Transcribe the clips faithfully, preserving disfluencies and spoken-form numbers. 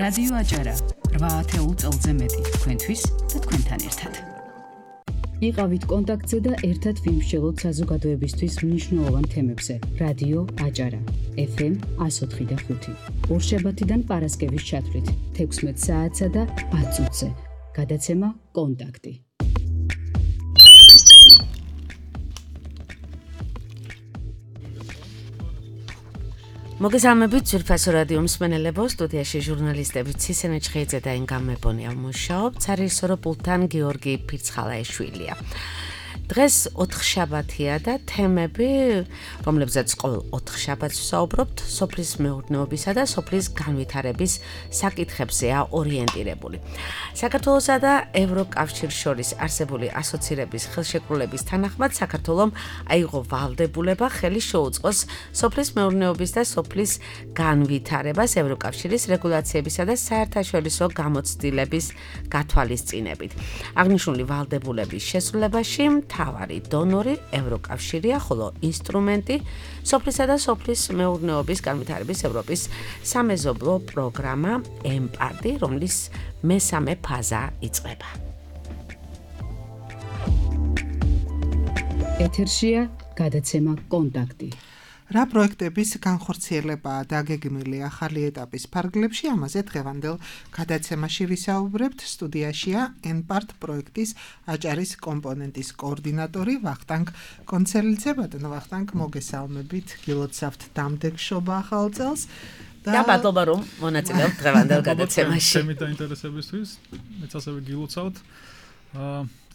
რადიო აჭარა რვა ათეულ წელზე მეტი თქვენთვის და თქვენთან ერთად. იყავით კონტაქტზე და ერთად ვიმსჯელოთ საზოგადოებისთვის მნიშვნელოვან თემებზე. რადიო აჭარა ეფ ემ one oh three point five ორშაბათიდან პარასკევის ჩათვლით თექვსმეტ საათსა და ათ წუთზე. გადაცემა კონტაქტი. მოგესალმებით ძვირფასო რადიო მსმენელებო, სტუდიაში ჟურნალისტები ცისენე ჩხეიძე და ინგა მებონია მუშაობ, ცარისორო პულტთან გიორგი ფირცხალაეშვილია. დღეს ოთხშაბათია და თემები, რომლებზეც ყოველ ოთხშაბათს ვსაუბრობთ, სოფლის მეურნეობისა და სოფლის განვითარების საკითხებზეა ორიენტირებული. საქართველოსა და ევროკავშირს შორის არსებული ასოცირების ხელშეკრულების თანახმად საქართველომ აიღო ვალდებულება ხელი შეუწყოს სოფლის მეურნეობის და სოფლის განვითარებას ევროკავშირის რეგულაციებისა და საერთაშორისო გამოცდილების გათვალისწინებით. აღნიშნული ვალდებულების შესრულებაში მთავარი დონორი ევროკავშირია, ხოლო ინსტრუმენტი სოფლისა და სოფლის მეურნეობის განვითარების ევროპის სამეზობლო პროგრამა ემპარტი, რომლის მესამე ფაზა იწყება. ეთერშია გადაცემა კონტაქტი. რა პროექტების განხორციელებაა დაგეგმილი ახალი ეტაპის ფარგლებში, ამაზე დღევანდელ გადაცემაში ვისაუბრებთ. სტუდიაშია ემპარტ პროექტის აჭარის კომპონენტის კოორდინატორი ვახტანგ კონცელიძე. ბატონო ვახტანგ, მოგესალმებით, გილოცავთ დამდეგშობა ახალ წელს და მადლობა რომ მონაწილეობთ დღევანდელ გადაცემაში. თემით დაინტერესებისთვის, მეც ასევე გილოცავთ.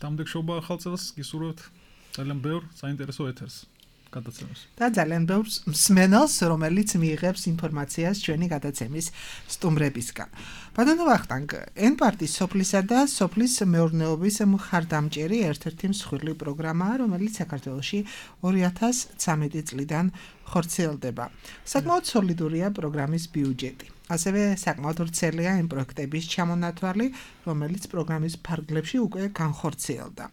დამდეგშობა ახალ წელს, გისურვებთ ძალიან ბევრ საინტერესო ეთერს. გადაცემას. და ძალიან ბევრ მსმენელს, რომელიც მიიღებს ინფორმაციას ჩვენი გადაცემის სტუმრებისგან. ბატონო ვახტანგ, ემპარტის სოფლისა და სოფლის მეურნეობის მხარდამჭერი ერთ-ერთი მსხვილი პროგრამაა, რომელიც საქართველოში ორი ათას ცხრამეტი წლიდან ხორციელდება. საკმაოდ სოლიდურია პროგრამის ბიუჯეტი. ასევე საკმაოდ ვრცელია იმ პროექტების ჩამონათვალი, რომელიც პროგრამის ფარგლებში უკვე განხორციელდა.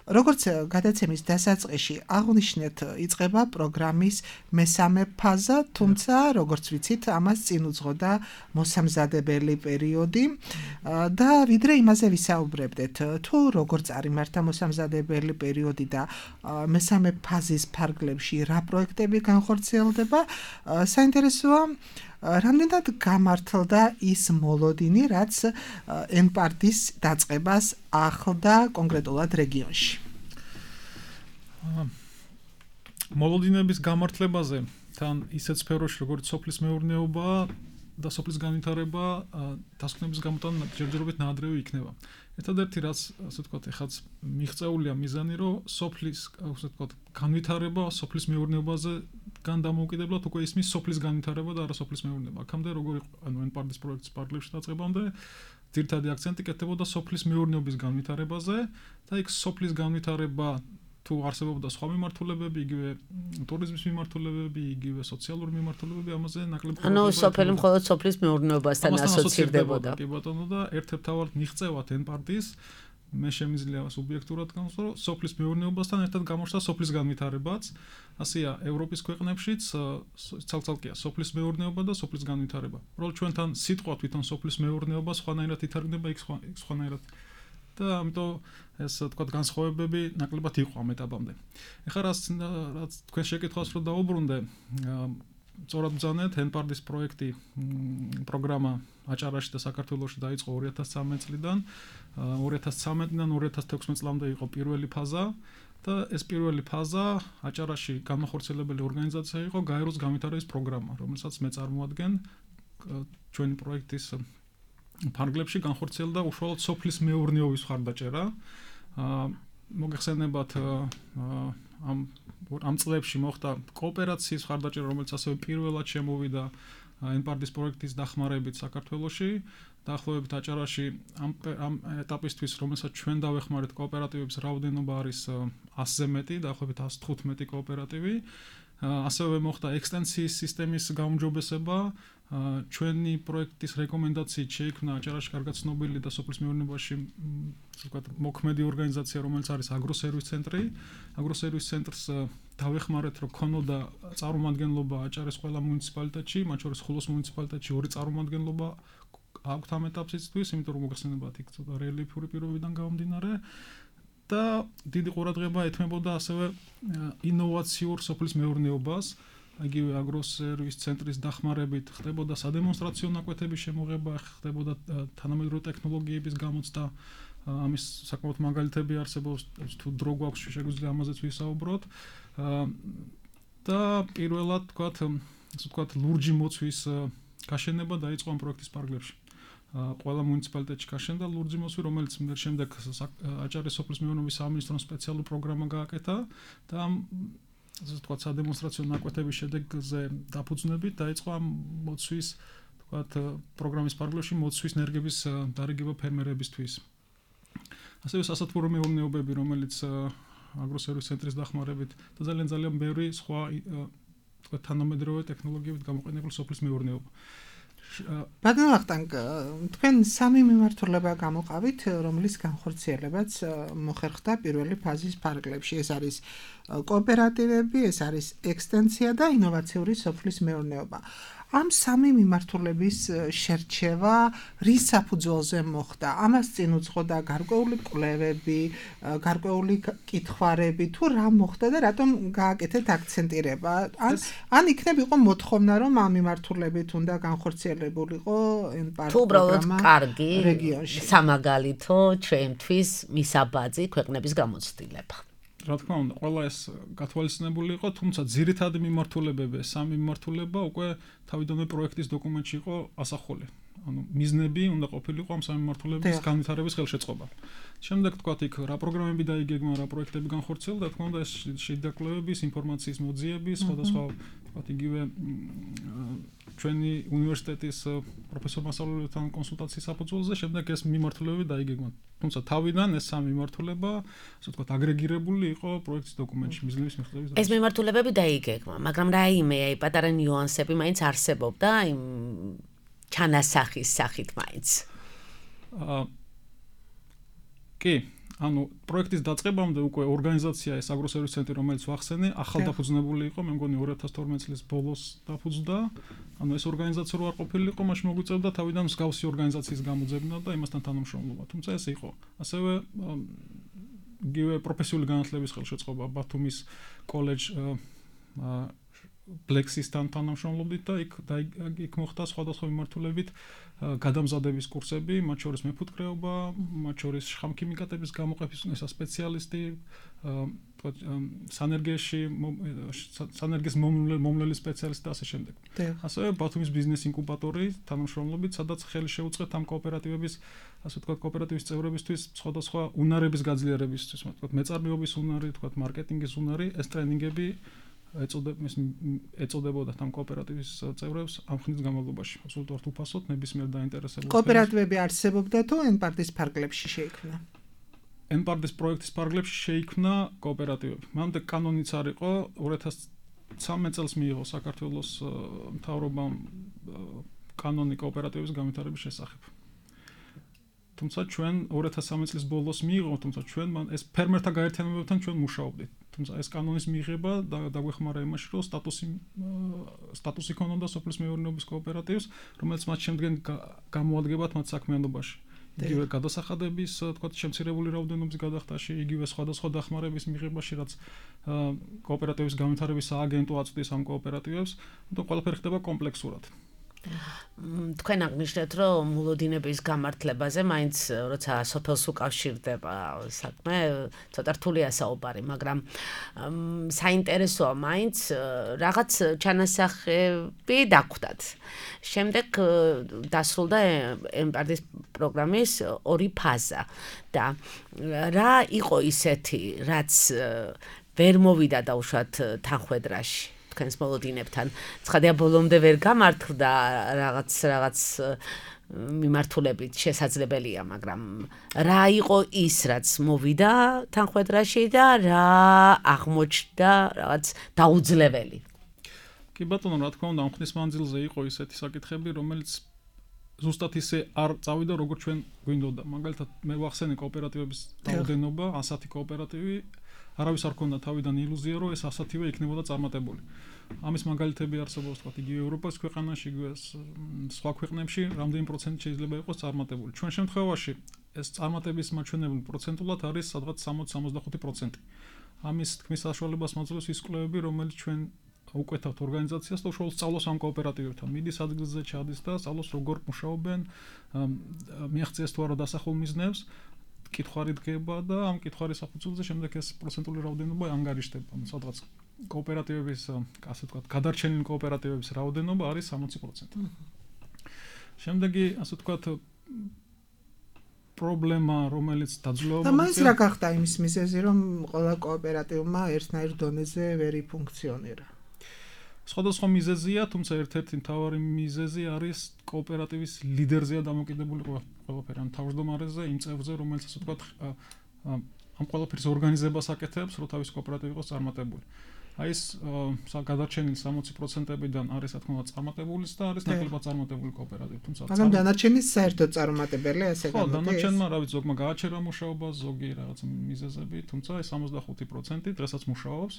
როგორც გადაცემის დასაწყისში აღნიშნეთ, იწყება პროგრამის მესამე ფაზა, თუმცა როგორც ვიცით, ამას წინ უძღოდა მოსამზადებელი პერიოდი და ვიდრე იმაზე ვისაუბრებდეთ, თუ როგორ წარიმართა მოსამზადებელი პერიოდი და მესამე ფაზის ფარგლებში რა პროექტები განხორციელდება, საინტერესოა რამდენად გამართლდა ის მოლოდინი, რაც ემპარტის დაწყებას ახლდა კონკრეტულად რეგიონში. მოლოდინების გამართლებაზე თან ისეთ სფეროში, როგორც სოფლის მეურნეობა და სოფლის განვითარება, დასკვნების გამოტანა ჯერჯერობით ნაადრევი იქნება. ერთადერთი რაც, ასე ვთქვათ, ეხაც მიღწეულია მიზანი, რომ სოფლის, ასე ვთქვათ, განვითარება სოფლის მეურნეობაზე გან დამოუკიდებლად უკვე ისმის სოფლის განვითარება და არა სოფლის მეურნეობა. აქამდე როგორ იყო, ანუ ემპარტის პროექტის პარალელში დაწყებამდე ძირითადი აქცენტი კეთდებოდა სოფლის მეურნეობის განვითარებაზე და იქ სოფლის განვითარება თუ არსებობდა სხვა მიმართულებები, იგივე ტურიზმის მიმართულებები, იგივე სოციალური მიმართულებები, ამაზე ნაკლები ანუ სოფელი მხოლოდ სოფლის მეურნეობასთან ასოცირდებოდა. კი ბატონო, და ერთ-ერთ თავად მიღწევათ ემპარტის, მე შემიძლია სუბიექტურად განვსვრო, სოფლის მეურნეობასთან ერთად გამოჩნდა სოფლის განვითარებაც. ასეა ევროპის ქვეყნებშიც ცალ-ცალკეა სოფლის მეურნეობა და სოფლის განვითარება. უბრალოდ ჩვენთან სიტყვა თვითონ სოფლის მეურნეობა სხვანაირად ითარგმნება, იქ სხვანაირად და ამიტომ ეს თქვათ განსხვავებები ნაკლებად იყო ამ ეტაპამდე. ეხლა რაც რაც თქვენ შეკითხვას რო დაუბრუნდე, სწორად ბრძანეთ, ემპარტის პროექტი პროგრამა აჭარაში და საქართველოში დაიწყო ორი ათას ცხრამეტ წლიდან. ორი ათას ცხრამეტიდან ორი ათას თექვსმეტ წლამდე იყო პირველი ფაზა და ეს პირველი ფაზა აჭარაში განმახორციელებელი ორგანიზაცია იყო გაეროს განვითარების პროგრამა, რომელსაც მე წარმოადგენ ჩვენი პროექტის ფარგლებში განხორციელდა უშუალოდ სოფლის მეურნეობის მხარდაჭერა. მოგეხსენებათ ამ ამ წლებში მოხდა კოოპერაციის მხარდაჭერა, რომელიც ასევე პირველად შემოვიდა ემპარტის პროექტის დახმარებით საქართველოში. დაახლოებით აჭარაში ამ ამ ეტაპისთვის, რომელსაც ჩვენ დავეხმარეთ კოოპერატივების რაოდენობა არის ასზე მეტი, დაახლოებით ასი თხუთმეტი კოოპერატივი. ასევე მოხდა ექსტენსიის სისტემის გაუმჯობესება. ჩვენი პროექტის რეკომენდაციით შეიქმნა აჭარაში კარგად ცნობილი და სოფლის მეურნეობაში ვთქვათ მოქმედი ორგანიზაცია, რომელიც არის აგროსერვის ცენტრი. აგროსერვის ცენტრს დავეხმარეთ, რომ ქონოდა წარმომადგენლობა აჭარის ყველა მუნიციპალიტეტში, მათ შორის ხულოს მუნიციპალიტეტში ორი წარმომადგენლობა აქვთ ამ ეტაპშიც, იმიტომ რომ მოგხსენებათ იქ ცოტა რელიეფური პირობიდან გამომდინარე და დიდი ყურადღება ეთმებოდა ასევე ინოვაციურ სოფლის მეურნეობას, იგივე აგროსერვის ცენტრის დახმარებით ხდებოდა სადემონსტრაციო ნაკვეთების შემოღება, ხდებოდა თანამედროვე ტექნოლოგიების გამოცდა, ამის საკმაოდ მაგალითები არსებობს, თუ დრო გვაქვს შეგვიძლია ამაზეც ვისაუბროთ. და პირველად თქვათ, ასე ვთქვათ, ლურჯი მოცვის გაშენება დაიწყო ამ პროექტის პარკლებში. ყველა მუნიციპალიტეტში გაშენდა ლურჯი მოცვი, რომელიც შემდეგ აჭარის სოფლის მეურნეობის სამინისტრომ სპეციალური პროგრამა გააკეთა და ამ ასე ვთქვათ, სადემონსტრაციო ნაკვეთების შედეგზე დაფუძნებით დაიწყო ამ მოცვის, ვთქვათ, პროგრამის პარკლებში მოცვის ნერგების დარიგება ფერმერებისთვის. ასევე სასათბურო მეურნეობები, რომელიც აგროსერვის ცენტრის დახმარებით და ძალიან ძალიან ბევრი სხვა ვთქვათ, თანამედროვე ტექნოლოგიებით გამოყენებული სოფლის მეურნეობა. ბატონო ვახტანგ, თქვენ სამი მიმართულება გამოყავით, რომლის განხორციელებაც მოხერხდა პირველი ფაზის პარკლებში. ეს არის კოოპერატივები, ეს არის ექსტენსია და ინოვაციური სოფლის მეურნეობა. ამ სამი მიმართულების შერჩევა რის საფუძველზე მოხდა? ამას წინ უძღოდა გარკვეული კვლევები, გარკვეული კითხვარები, თუ რა მოხდა და რატომ გააკეთეთ აქცენტირება? ან ან იქნებ იყო მოთხოვნა, რომ ამ მიმართულებით უნდა განხორციელებულიყო ეს პროგრამა? თუ უბრალოდ კარგი სამაგალითო ჩვენთვის მისაბაძი ქვეყნების გამოცდილება. რა თქმა უნდა, ყველა ეს გათვალისწინებული იყო, თუმცა ძირითადი მიმართულებები, სამი მიმართულება უკვე თავიდანვე პროექტის დოკუმენტში იყო ასახული. ანუ მიზნები უნდა ყოფილიყო ამ სამი მიმართულების განვითარების ხელშეწყობა. შემდეგ თქვათ, იქ რა პროგრამები დაიგეგმა, რა პროექტები განხორციელდა, რა თქმა უნდა, ეს შედაკლებების, ინფორმაციის მოძიების, სხვადასხვა თქვათ, იგივე ჩვენი უნივერსიტეტის პროფესორ-მასწავლებელთან კონსულტაციის საფუძველზე, შემდეგ ეს მიმართულებები დაიგეგმა. თუმცა თავიდან ეს სამი მიმართულება, ასე ვთქვათ, აგრეგირებული იყო პროექტის დოკუმენტში მიზნების მიღწევის დროს. ეს მიმართულებები დაიგეგმა, მაგრამ რაიმე აი პატარა ნიუანსები მაინც არსებობდა იმ ჩანასახის სახით მაინც. აა კი, ანუ პროექტის დაწყებამდე უკვე ორგანიზაცია ეს აგროსერვის ცენტრი, რომელიც ვახსენე, ახალ დაფუძნებული იყო, მე მგონი ორი ათას თორმეტი წლის ბოლოს დაფუძნდა. ანუ ეს ორგანიზაცია რო არ ყოფილიყო, მაშინ მოგვიწევდა თავიდან მსგავსი ორგანიზაციის გამოძებნა და იმასთან თანამშრომლობა. თუმცა ეს იყო. ასევე იგივე პროფესიული განათლების ხელშეწყობა ბათუმის კოლეჯ ბლექსისთან თანამშრომლობით და იქ იქ მოხდა სხვადასხვა მიმართულებით გადამზადების კურსები, მათ შორის მეფუტკრეობა, მათ შორის შხამქიმიკატების გამოყოფის სპეციალისტი, თქვა სანერგიაში სანერგის მომვლელი სპეციალისტი და ასე შემდეგ. ასევე ბათუმის ბიზნეს ინკუბატორი თანამშრომლობით, სადაც ხელი შეუწყეთ ამ კოოპერატივების, ასე ვთქვათ, კოოპერატივის წევრებისთვის სხვადასხვა უნარების გაძლიერებისთვის, თქვა მეწარმეობის უნარი, თქვა მარკეტინგის უნარი, ეს ტრენინგები ეწოდებოდა ამ კოოპერატივის წევრებს ამ ხნის განმავლობაში. აბსოლუტურად უფასოდ, ნებისმიერ დაინტერესებულ. კოოპერატივები არსებობდა თუ ენპარტის პარკლებში შეიქმნა? ენპარტის პროექტის პარკლებში შეიქმნა კოოპერატივები. მანამდე კანონიც არ იყო, ორი ათას ცხრამეტ წელს მიიღო საქართველოს მთავრობამ კანონი კოოპერატივების განვითარების შესახებ. თუმცა ჩვენ ორი ათას სამი წლის ბოლოს მიიღო, თუმცა ჩვენ ეს ფერმერთა გაერთიანებებთან ჩვენ მუშაობდით. თუმცა ეს კანონის მიღება დაგვეხმარა იმაში, რომ სტატუსი სტატუსი ქონოდა სოფლის მეურნეობის კოოპერატივს, რომელიც მათ შემდგენ გამოადგებათ მათ საქმიანობაში. იგივე გადასახადების, თქვათ, შემცირებული რაოდენობის გადახდაში, იგივე სხვადასხვა დახმარების მიღებაში, რაც კოოპერატივის განვითარების სააგენტო აწვდის ამ კოოპერატივებს, და ყველაფერი ხდება კომპლექსურად. თქვენ აღნიშნეთ, რომ მულოდინების გამართლებაზე მაინც როცა სოფელს უკავშირდება საქმე, ცოტა რთულია საუბარი, მაგრამ საინტერესოა მაინც რაღაც ჩანასახები დაგვხდათ. შემდეგ დასრულდა ენპარტის პროგრამის ორი ფაზა და რა იყო ისეთი, რაც ვერ მოვიდა დაუშვათ თანხwebdriverში. თქვენს მოლოდინებთან. ცხადია ბოლომდე ვერ გამართლდა რაღაც რაღაც მიმართულებით შესაძლებელია, მაგრამ რა იყო ის, რაც მოვიდა თანხwebdriverში და რა აღმოჩნდა რაღაც დაუძლეველი? კი ბატონო, რა თქმა უნდა, ამ ხნის მანძილზე იყო ისეთი საკითხები, რომელიც ზუსტად ისე არ წავიდა, როგორც ჩვენ გვინდოდა. მაგალითად, მე ვახსენე კოოპერატივების რაოდენობა, ასეთი კოოპერატივი არავის არ ქონდა თავიდან ილუზია, რომ ეს ასათივე იქნებოდა წარმატებული. ამის მაგალითები არსებობს, თქვათ, იგივე ევროპის ქვეყანაში, იგივე სხვა ქვეყნებში, რამდენი პროცენტი შეიძლება იყოს წარმატებული. ჩვენ შემთხვევაში ეს წარმატების მაჩვენებელი პროცენტულად არის სადღაც სამოცი სამოცდახუთი პროცენტი. ამის თქმის საშუალებას მაძლევს ის კვლევები, რომელიც ჩვენ უკეთავთ ორგანიზაციას და უშუალოდ სწავლობს ამ კოოპერატივებთან. მიდის ადგილზე ჩადის და სწავლობს როგორ მუშაობენ, მიაღწიეს თუ არა დასახულ მიზნებს, კითხვარი დგება და ამ კითხვის საფუძველზე შემდეგ ეს პროცენტული რაოდენობა ანგარიშდება. სადღაც კოოპერატივების, ასე ვთქვათ, გადარჩენილი კოოპერატივების რაოდენობა არის სამოცი პროცენტი. შემდეგი, ასე ვთქვათ, პრობლემა, რომელიც დაძლევა და მას რა გახდა იმის მიზეზი, რომ ყველა კოოპერატივმა ერთნაირ დონეზე ვერ იფუნქციონირა? სხვადასხვა მიზეზია, თუმცა ერთ-ერთი მთავარი მიზეზი არის კოოპერატივის ლიდერზეა დამოკიდებული ყველაფერი, ან თავმჯდომარეზე, იმ წევრზე, რომელიც ასე ვთქვათ, ამ ყველაფრის ორგანიზებას აკეთებს, რომ თავის კოოპერატივი იყოს წარმატებული. აი ეს გადარჩენილი სამოცი პროცენტებიდან არის, რა თქმა უნდა, წარმატებულის და არის ნაკლებად წარმატებული კოოპერატივი, თუმცა მაგრამ დანარჩენი საერთოდ წარმატებელია, ასე გამოდის. ხო, დანარჩენმა, რა ვიცი, ზოგმა გააჩერა მუშაობა, ზოგი რაღაც მიზეზები, თუმცა ეს სამოცდახუთი პროცენტი დღესაც მუშაობს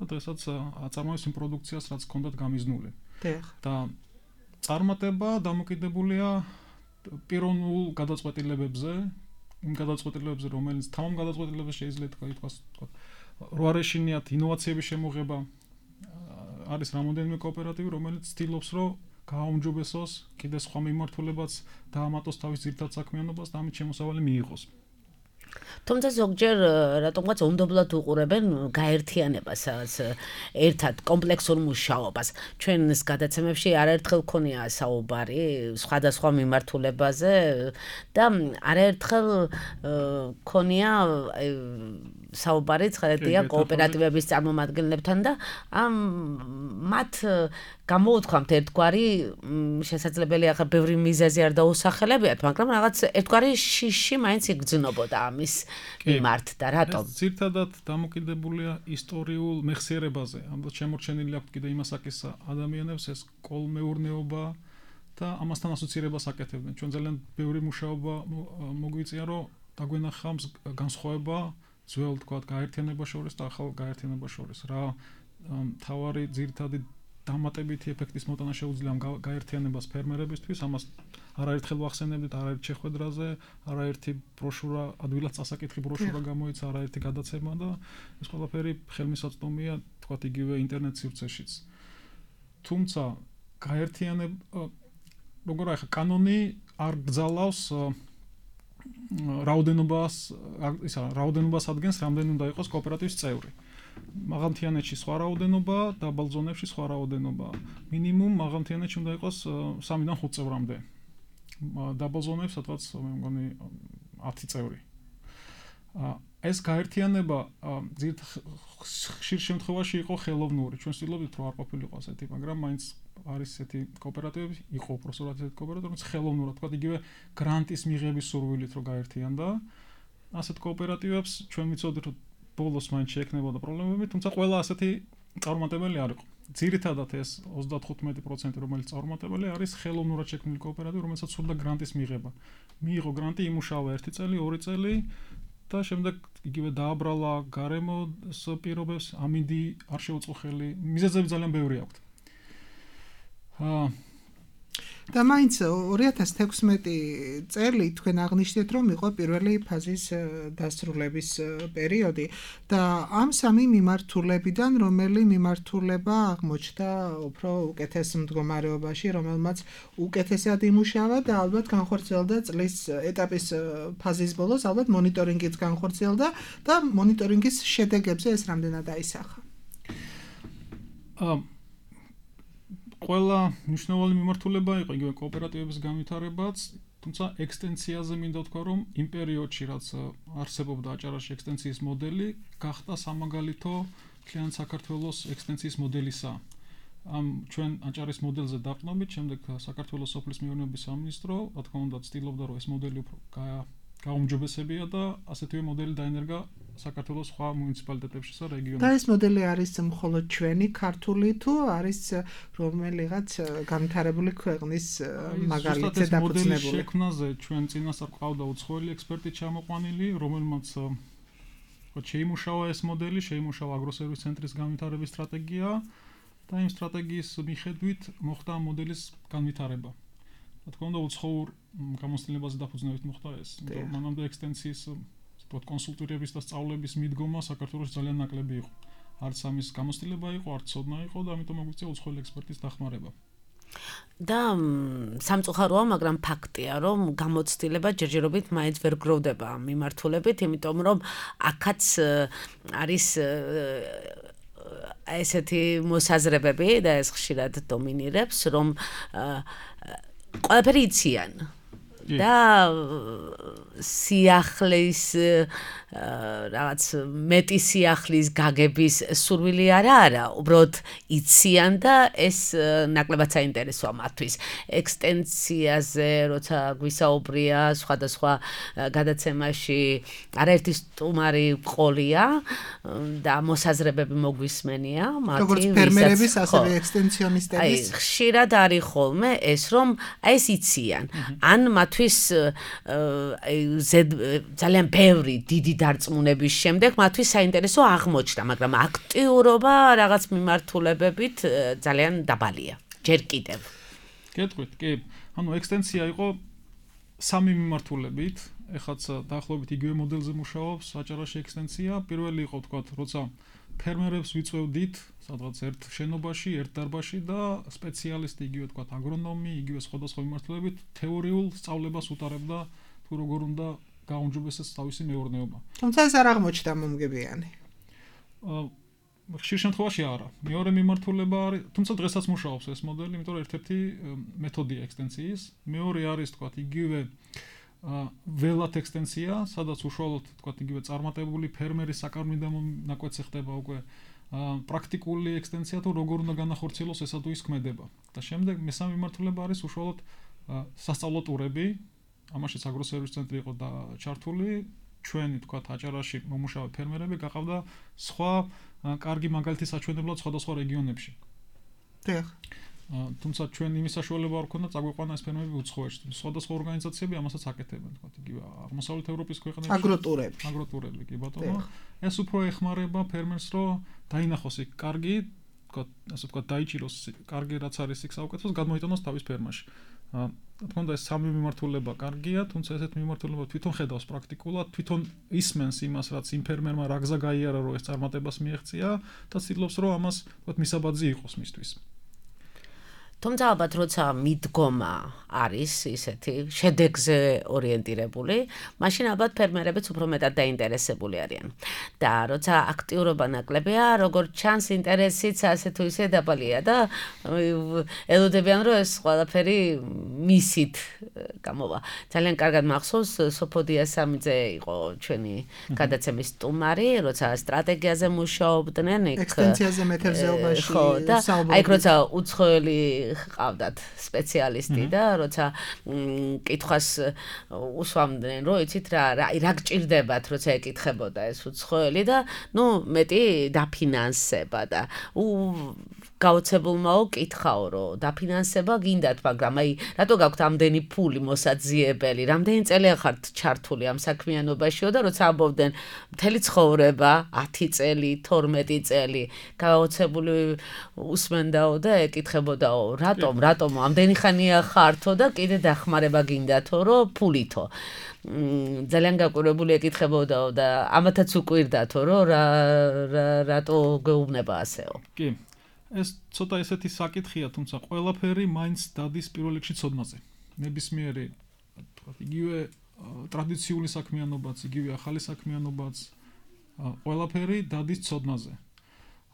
და დღესაც აწარმოებს იმ პროდუქციას, რაც ჰქონდათ გამიზნული. და წარმატება დამოკიდებულია პიროვნულ გადაწყვეტილებებზე, იმ გადაწყვეტილებებზე, რომელიც თამამ გადაწყვეტილებებზე შეიძლება ითქვას, თქვათ, რო არ ეშინიათ ინოვაციების შემოღება, არის რამოდენიმე კოოპერატივი, რომელიც ცდილობს, რომ გააუმჯობესოს, კიდე სხვა მიმართულებაც დაამატოს თავის ძირითად საქმიანობას და ამით შემოსავალი მიიღოს. თუმცა ზოგჯერ რატომღაც უნდობლად უყურებენ გაერთიანებას, ერთად კომპლექსურ მუშაობას. ჩვენს გადაცემებში არაერთხელ ქონია საუბარი სხვადასხვა მიმართულებაზე და არაერთხელ ქონია საუბარი ცხადია კოოპერატივების წარმომადგენლებთან და ამ მათ გამოუთქვამთ ერთგვარი შესაძლებელია ახლა ბევრი მიზეზი არ დაუსახელებიათ, მაგრამ რაღაც ერთგვარი შიში მაინც იგრძნობოდა ამის მიმართ და რატომ? ეს ძირთადად დამოკიდებულია ისტორიულ მეხსიერებაზე. ამბობ შემორჩენილი აქვს კიდე იმასაკის ადამიანებს ეს კოლმეურნეობა და ამასთან ასოცირებას აკეთებდნენ. ჩვენ ძალიან ბევრი მუშაობა მოგვიწია, რომ დაგვენახა განსხვავება ძველ, თქვათ, გაერთიანებას შორის და ახალ გაერთიანებას შორის. რა თავარი ძირთადი დამატებითი ეფექტის მოტანა შეუძლია ამ გაერთიანებას ფერმერებისთვის, ამას არაერთხელ ვახსენებდით, არაერთ შეხვედრაზე, არაერთი ბროშურა, ადვილად წასაკითხი ბროშურა გამოიცა, არაერთი გადაცემა და ეს ყველაფერი ხელმისაწვდომია, თქვათ, იგივე ინტერნეტ სივრცეშიც. თუმცა გაერთიანება, როგორ ახლა კანონი არ გძალავს რაოდენობას, ისა რაოდენობას ადგენს, რამდენი უნდა იყოს კოოპერატივის წევრი. მაღალმთიანეთში სხვა რაოდენობა, დაბალ ზონებში სხვა რაოდენობა. მინიმუმ მაღალმთიანეთში უნდა იყოს სამიდან ხუთ წევრამდე. დაბალ ზონებში სადღაც მე მგონი ათი წევრი. ეს გაერთიანება ხშირ შემთხვევაში იყო ხელოვნური. ჩვენ ვცდილობთ რომ არ ყოფილიყო ასეთი, მაგრამ მაინც არის ესეთი კოოპერატივები, იყო უბრალოდ ესეთი კოოპერატივები, რომელიც ხელოვნურად, თქვა, იგივე გრანტის მიღების სურვილით რომ გაერთიანდა. ასეთ კოოპერატივებს ჩვენ ვიცოდით რომ ბოლოს მაინც შეექნებოდა პრობლემები, თუმცა ყველა ასეთი წარმატებელი არ იყო. ძირითადად ეს ოცდათხუთმეტი პროცენტი, რომელიც წარმატებელი არის, ხელოვნურად შექმნილი კოოპერატივი, რომელსაც სურდა გრანტის მიღება. მიიღო გრანტი, იმუშავა ერთი წელი, ორი წელი და შემდეგ იგივე დააბრალა გარემოს პირობებს, ამინდი არ შეუწყო ხელი. მიზეზები ძალიან ბევრი აქვს. აა და მაინც ორი ათას თექვსმეტი წელი თქვენ აღნიშნეთ, რომ იყო პირველი ფაზის დასრულების პერიოდი და ამ სამი მიმართულებიდან რომელი მიმართულება აღმოჩნდა უფრო უკეთეს მდგომარეობაში, რომელმაც უკეთესად იმუშავა და ალბათ განხორციელდა წლის ეტაპის ფაზის ბოლოს, ალბათ მონიტორინგიც განხორციელდა და მონიტორინგის შედეგებზე ეს რამდენად აისახა? აა ყველა მნიშვნელოვანი მიმართულება იყო იგივე კოოპერატივების განვითარებაც, თუმცა ექსტენსიაზე მინდა ვთქვა, რომ იმ პერიოდში, რაც არსებობდა აჭარაში ექსტენსიის მოდელი, გახდა სამაგალითო მთლიან საქართველოს ექსტენსიის მოდელისა. ამ ჩვენ აჭარის მოდელზე დაყნობით, შემდეგ საქართველოს სოფლის მეურნეობის სამინისტრო, რა თქმა უნდა, ცდილობდა, რომ ეს მოდელი უფრო გაუმჯობესებია და ასეთივე მოდელი დაენერგა საქართველოს სხვა მუნიციპალიტეტებში და რეგიონებში. და ეს მოდელი არის მხოლოდ ჩვენი ქართული თუ არის რომელიღაც განვითარებული ქვეყნის მაგალითზე დაფუძნებული? შექმნაზე ჩვენ წინასწარ ყავდა უცხოელი ექსპერტი ჩამოყვანილი, რომელმაც ხო შეიმუშავა ეს მოდელი, შეიმუშავა აგროსერვის ცენტრის განვითარების სტრატეგია და იმ სტრატეგიის მიხედვით მოხდა ამ მოდელის განვითარება. რა თქმა უნდა, უცხოურ გამოცდილებაზე დაფუძნებით მოხდა ეს. იმიტომ მანამდე ექსტენსიის ვთქვათ კონსულტირების და სწავლების მიდგომა საქართველოში ძალიან ნაკლები იყო. არც ამის გამოცდილება იყო, არც ცოდნა იყო და ამიტომ მოგვიწია უცხოელი ექსპერტის დახმარება. და სამწუხაროა, მაგრამ ფაქტია, რომ გამოცდილება ჯერჯერობით მაინც ვერ გროვდება ამ მიმართულებით, იმიტომ რომ აქაც არის ესეთი მოსაზრებები და ეს ხშირად დომინირებს, რომ ყველაფერი იციან და სიახლის რაღაც მეტი სიახლის გაგების სურვილი არა არა, უბრალოდ იციან და ეს ნაკლებად საინტერესოა მათთვის. ექსტენსიაზე, როცა გვისაუბრია სხვადასხვა გადაცემაში, არაერთი სტუმარი ყოლია და მოსაზრებები მოგვისმენია, მათი როგორც ფერმერების, ასევე ექსტენსიონისტების. აი, ხშირად არის ხოლმე ეს, რომ აი ეს იციან. ან მათთვის ძალიან ბევრი დიდი დარწმუნების შემდეგ მათთვის საინტერესო აღმოჩნდა, მაგრამ აქტიურობა რაღაც მიმართულებებით ძალიან დაბალია. ჯერ კიდევ. გეტყვით, კი. ანუ ექსტენსია იყო სამი მიმართულებით, ეხაც დაახლოებით იგივე მოდელზე მუშაობს აჭარაში ექსტენსია. პირველი იყო, თქვათ, როცა ფერმერებს ვიწევდით სადღაც ერთ შენობაში, ერთ დარბაზში და სპეციალისტი იგივე თქვათ აგრონომი, იგივე სხვადასხვა მიმართულებით თეორიულ სწავლებას უტარებდა თუ როგორ უნდა გაუმჯობესდეს თავისი მეურნეობა. თუმცა ეს არ აღმოჩნდა მომგებიანი. ხშირ შემთხვევაში არა. მეორე მიმართულება არის, თუმცა დღესაც მუშაობს ეს მოდელი, იმიტომ რომ ერთ-ერთი მეთოდია ექსტენსიის. მეორე არის თქვათ იგივე ველათ ექსტენსია, სადაც უშუალოდ თქვათ იგივე წარმატებული ფერმერის საკარმიდამო ნაკვეთზე ხდება უკვე პრაქტიკული ექსტენსია, თუ როგორ უნდა განახორციელოს ესა თუ ის ქმედება. და შემდეგ მესამე მიმართულება არის უშუალოდ სასწავლო ტურები. ამაშიც აგროსერვის ცენტრი იყო და ჩართული. ჩვენი თქვათ აჭარაში მომუშავე ფერმერები გაყავდა სხვა კარგი მაგალითი საჩვენებლად სხვადასხვა რეგიონებში. დიახ. თუმცა ჩვენ იმის საშუალება არ ქონდა წაგვიყვანა ეს ფერმერები უცხოეთში. სხვადასხვა ორგანიზაციები ამასაც აკეთებენ, თქვათ იგივე აღმოსავლეთ ევროპის ქვეყნებში. აგროტურები. აგროტურები, კი ბატონო. ეს უფრო ეხმარება ფერმერს, რომ დაინახოს იქ კარგი, თქვათ, ასე ვთქვათ, დაიჭიროს კარგი რაც არის იქ საუკეთესო, გადმოიტანოს თავის ფერმაში. რა თქმა უნდა, ეს სამი მიმართულება კარგია, თუმცა ესეთ მიმართულება თვითონ ხედავს პრაქტიკულად, თვითონ ისმენს იმას, რაც იმ ფერმერმა რა გზა გაიარა, რომ ეს წარმატებას მიაღწია და ცდილობს, რომ ამას, თქვათ, მისაბაძი იყოს მისთვის. თუმცა ალბათ როცა მიდგომა არის ისეთი შედეგზე ორიენტირებული, მაშინ ალბათ ფერმერებიც უფრო მეტად დაინტერესებული არიან. და როცა აქტიურობა ნაკლებია, როგორც ჩანს, ინტერესიც ასე თუ ისე დაბალია და ელოდებიან, რომ ეს ყველაფერი მისით გამოვა. ძალიან კარგად მახსოვს, სოფოდია სამიძე იყო ჩვენი გადაცემის სტუმარი, როცა სტრატეგიაზე მუშაობდნენ, იქ ექსტენსიაზე მეთევზეობაში. ხო, და აი როცა უცხოელი ყავდათ სპეციალისტი და როცა კითხვას უსვამდნენ, რომ იცით რა რა გჭირდებათ, როცა ეკითხებოდა ეს უცხოელი და ნუ მეტი დაფინანსება და გაოცებულმაო კითხაო, რომ დაფინანსება გინდათ, მაგრამ აი რატო გაქვთ ამდენი ფული მოსაძიებელი, რამდენი წელია ხართ ჩართული ამ საქმიანობაშიო და როცა ამბობდნენ მთელი ცხოვრება, ათი წელი, თორმეტი წელი, გაოცებული უსმენდაო და ეკითხებოდაო, რატომ, რატომ ამდენი ხანია ხართო და კიდე დახმარება გინდათო, რომ ფულითო. ძალიან გაკვირვებული ეკითხებოდაო და ამათაც უკვირდათო, რომ რა რატო გეუბნება ასეო. კი. ეს ცოტა ესეთი საკითხია, თუმცა ყველაფერი მაინც დადის პირველ რიგში ცოდნაზე. ნებისმიერი, თქვათ, იგივე ტრადიციული საქმიანობაც, იგივე ახალი საქმიანობაც, ყველაფერი დადის ცოდნაზე.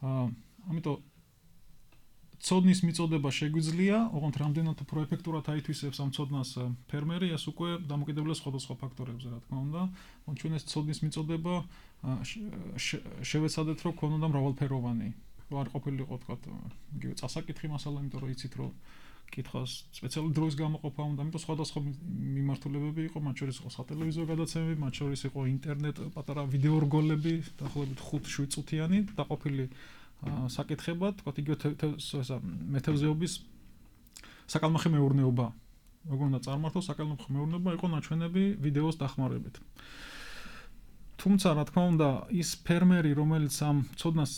ამიტომ ცოდნის მიწოდება შეგვიძლია, ოღონდ რამდენად უფრო ეფექტურად აითვისებს ამ ცოდნას ფერმერი, ეს უკვე დამოკიდებულია სხვადასხვა ფაქტორებზე, რა თქმა უნდა. ჩვენ ეს ცოდნის მიწოდება შევეცადეთ, რომ ქონოდა მრავალფეროვანი. რომ არ ყოფილიყო, თქვათ, იგივე წასაკითხი მასალა, იმიტომ რომ იცით, რომ კითხავს სპეციალური დროის გამოყოფა უნდა, ამიტომ სხვადასხვა მიმართულებები იყო, მათ შორის იყო სატელევიზიო გადაცემები, მათ შორის იყო ინტერნეტ პატარა ვიდეო რგოლები, დაახლოებით ხუთ შვიდ წუთიანი დაყოფილი საკითხებად, თქვათ, იგივე მეთევზეობის საკალმახი მეურნეობა. როგორ უნდა წარმართოს საკალმახი მეურნეობა, იყო ნაჩვენები ვიდეოს დახმარებით. თუ თუმცა რა თქმა უნდა ის ფერმერი რომელიც ამ ცოდნას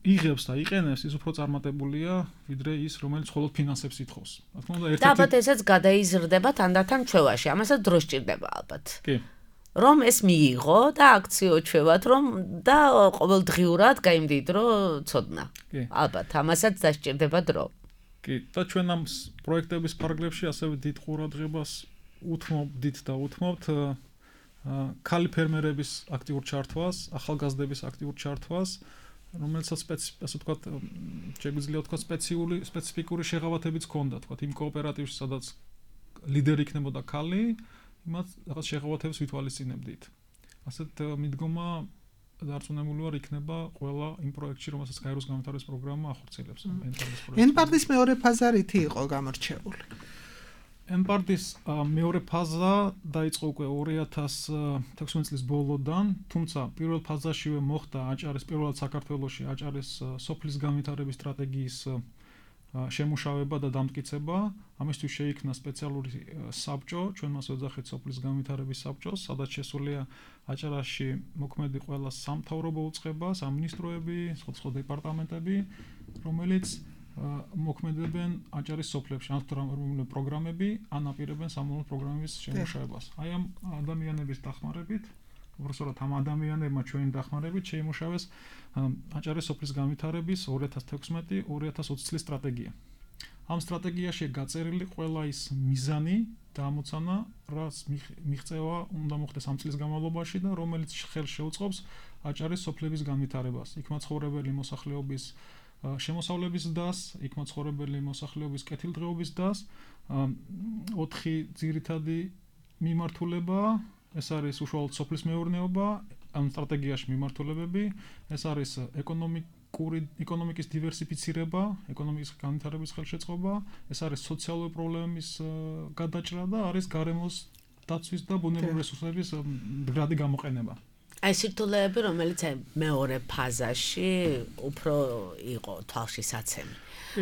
იღებს და იყენებს ის უფრო წარმატებულია ვიდრე ის რომელიც მხოლოდ ფინანსებს ითხოვს. რა თქმა უნდა ერთ-ერთი და ალბათ ესაც გადაიზრდება თანდათან ჩვევაში ამასაც დრო სჭირდება ალბათ. კი რომ ეს მიიღო და აქციო ჩვევად რომ და ყოველდღიურად გაიმდიდრო ცოდნა. ალბათ ამასაც დასჭირდება დრო. კი და ჩვენ ამ პროექტების ფარგლებში ასევე დიდ ყურადღებას უთმობთ და უთმობთ ქალი ფერმერების აქტიურ ჩართვას, ახალგაზრდების აქტიურ ჩართვას, რომელსაც ასე ვთქვათ, შეგვიძლია ვთქვათ სპეციფიკური სპეციფიკური შეღავათებიც ჰქონდა, ვთქვათ, იმ კოოპერატივში, სადაც ლიდერი იქნებოდა ქალი, იმათ რაღაც შეღავათებს ვითვალისწინებდით. ასეთ მიდგომა დარწმუნებული ვარ იქნება ყველა იმ პროექტში, რომელსაც გაეროს განვითარების პროგრამა ახორციელებს. ენპარტის მეორე ფაზა რითი იყო გამორჩეული? ენპარტის მეორე ფაზა დაიწყო უკვე ორი ათას თექვსმეტ წლის ბოლოდან, თუმცა პირველ ფაზაშივე მოხდა აჭარის პირველად საქართველოში აჭარის სოფლის განვითარების სტრატეგიის შემუშავება და დამტკიცება. ამისთვის შეიქმნა სპეციალური საბჭო, ჩვენ მას ვეძახით სოფლის განვითარების საბჭოს, სადაც შესულია აჭარაში მოქმედი ყველა სამთავრობო უწყება, სამინისტროები, სხვადასხვა დეპარტამენტები, რომელიც მოქმედებენ აჭარის სოფლებში, ან თურმე პროგრამები, ან აპირებენ სამომავლო პროგრამების შემუშავებას. აი ამ ადამიანების დახმარებით, უბრალოდ ამ ადამიანებმა ჩვენი დახმარებით შეიმუშავეს აჭარის სოფლის განვითარების ორი ათას თექვსმეტი ორი ათას ოცი წლის სტრატეგია. ამ სტრატეგიაში გაწერილი ყველა ის მიზანი და ამოცანა, რაც მიღწევა უნდა მოხდეს ამ წლის განმავლობაში და რომელიც ხელს შეუწყობს აჭარის სოფლების განვითარებას. იქ მაცხოვრებელი მოსახლეობის შემოსავლების დას, იქ მაცხოვრებელი მოსახლეობის კეთილდღეობის დას, ოთხი ძირითადი მიმართულება, ეს არის უშუალოდ სოფლის მეურნეობა, ამ სტრატეგიაში მიმართულებები, ეს არის ეკონომიკური ეკონომიკის დივერსიფიცირება, ეკონომიკის განვითარების ხელშეწყობა, ეს არის სოციალური პრობლემების გადაჭრა და არის გარემოს დაცვის და ბუნებრივი რესურსების მდგრადი გამოყენება. აი სირთულეები, რომელიც მეორე ფაზაში უფრო იყო თვალში საცემი,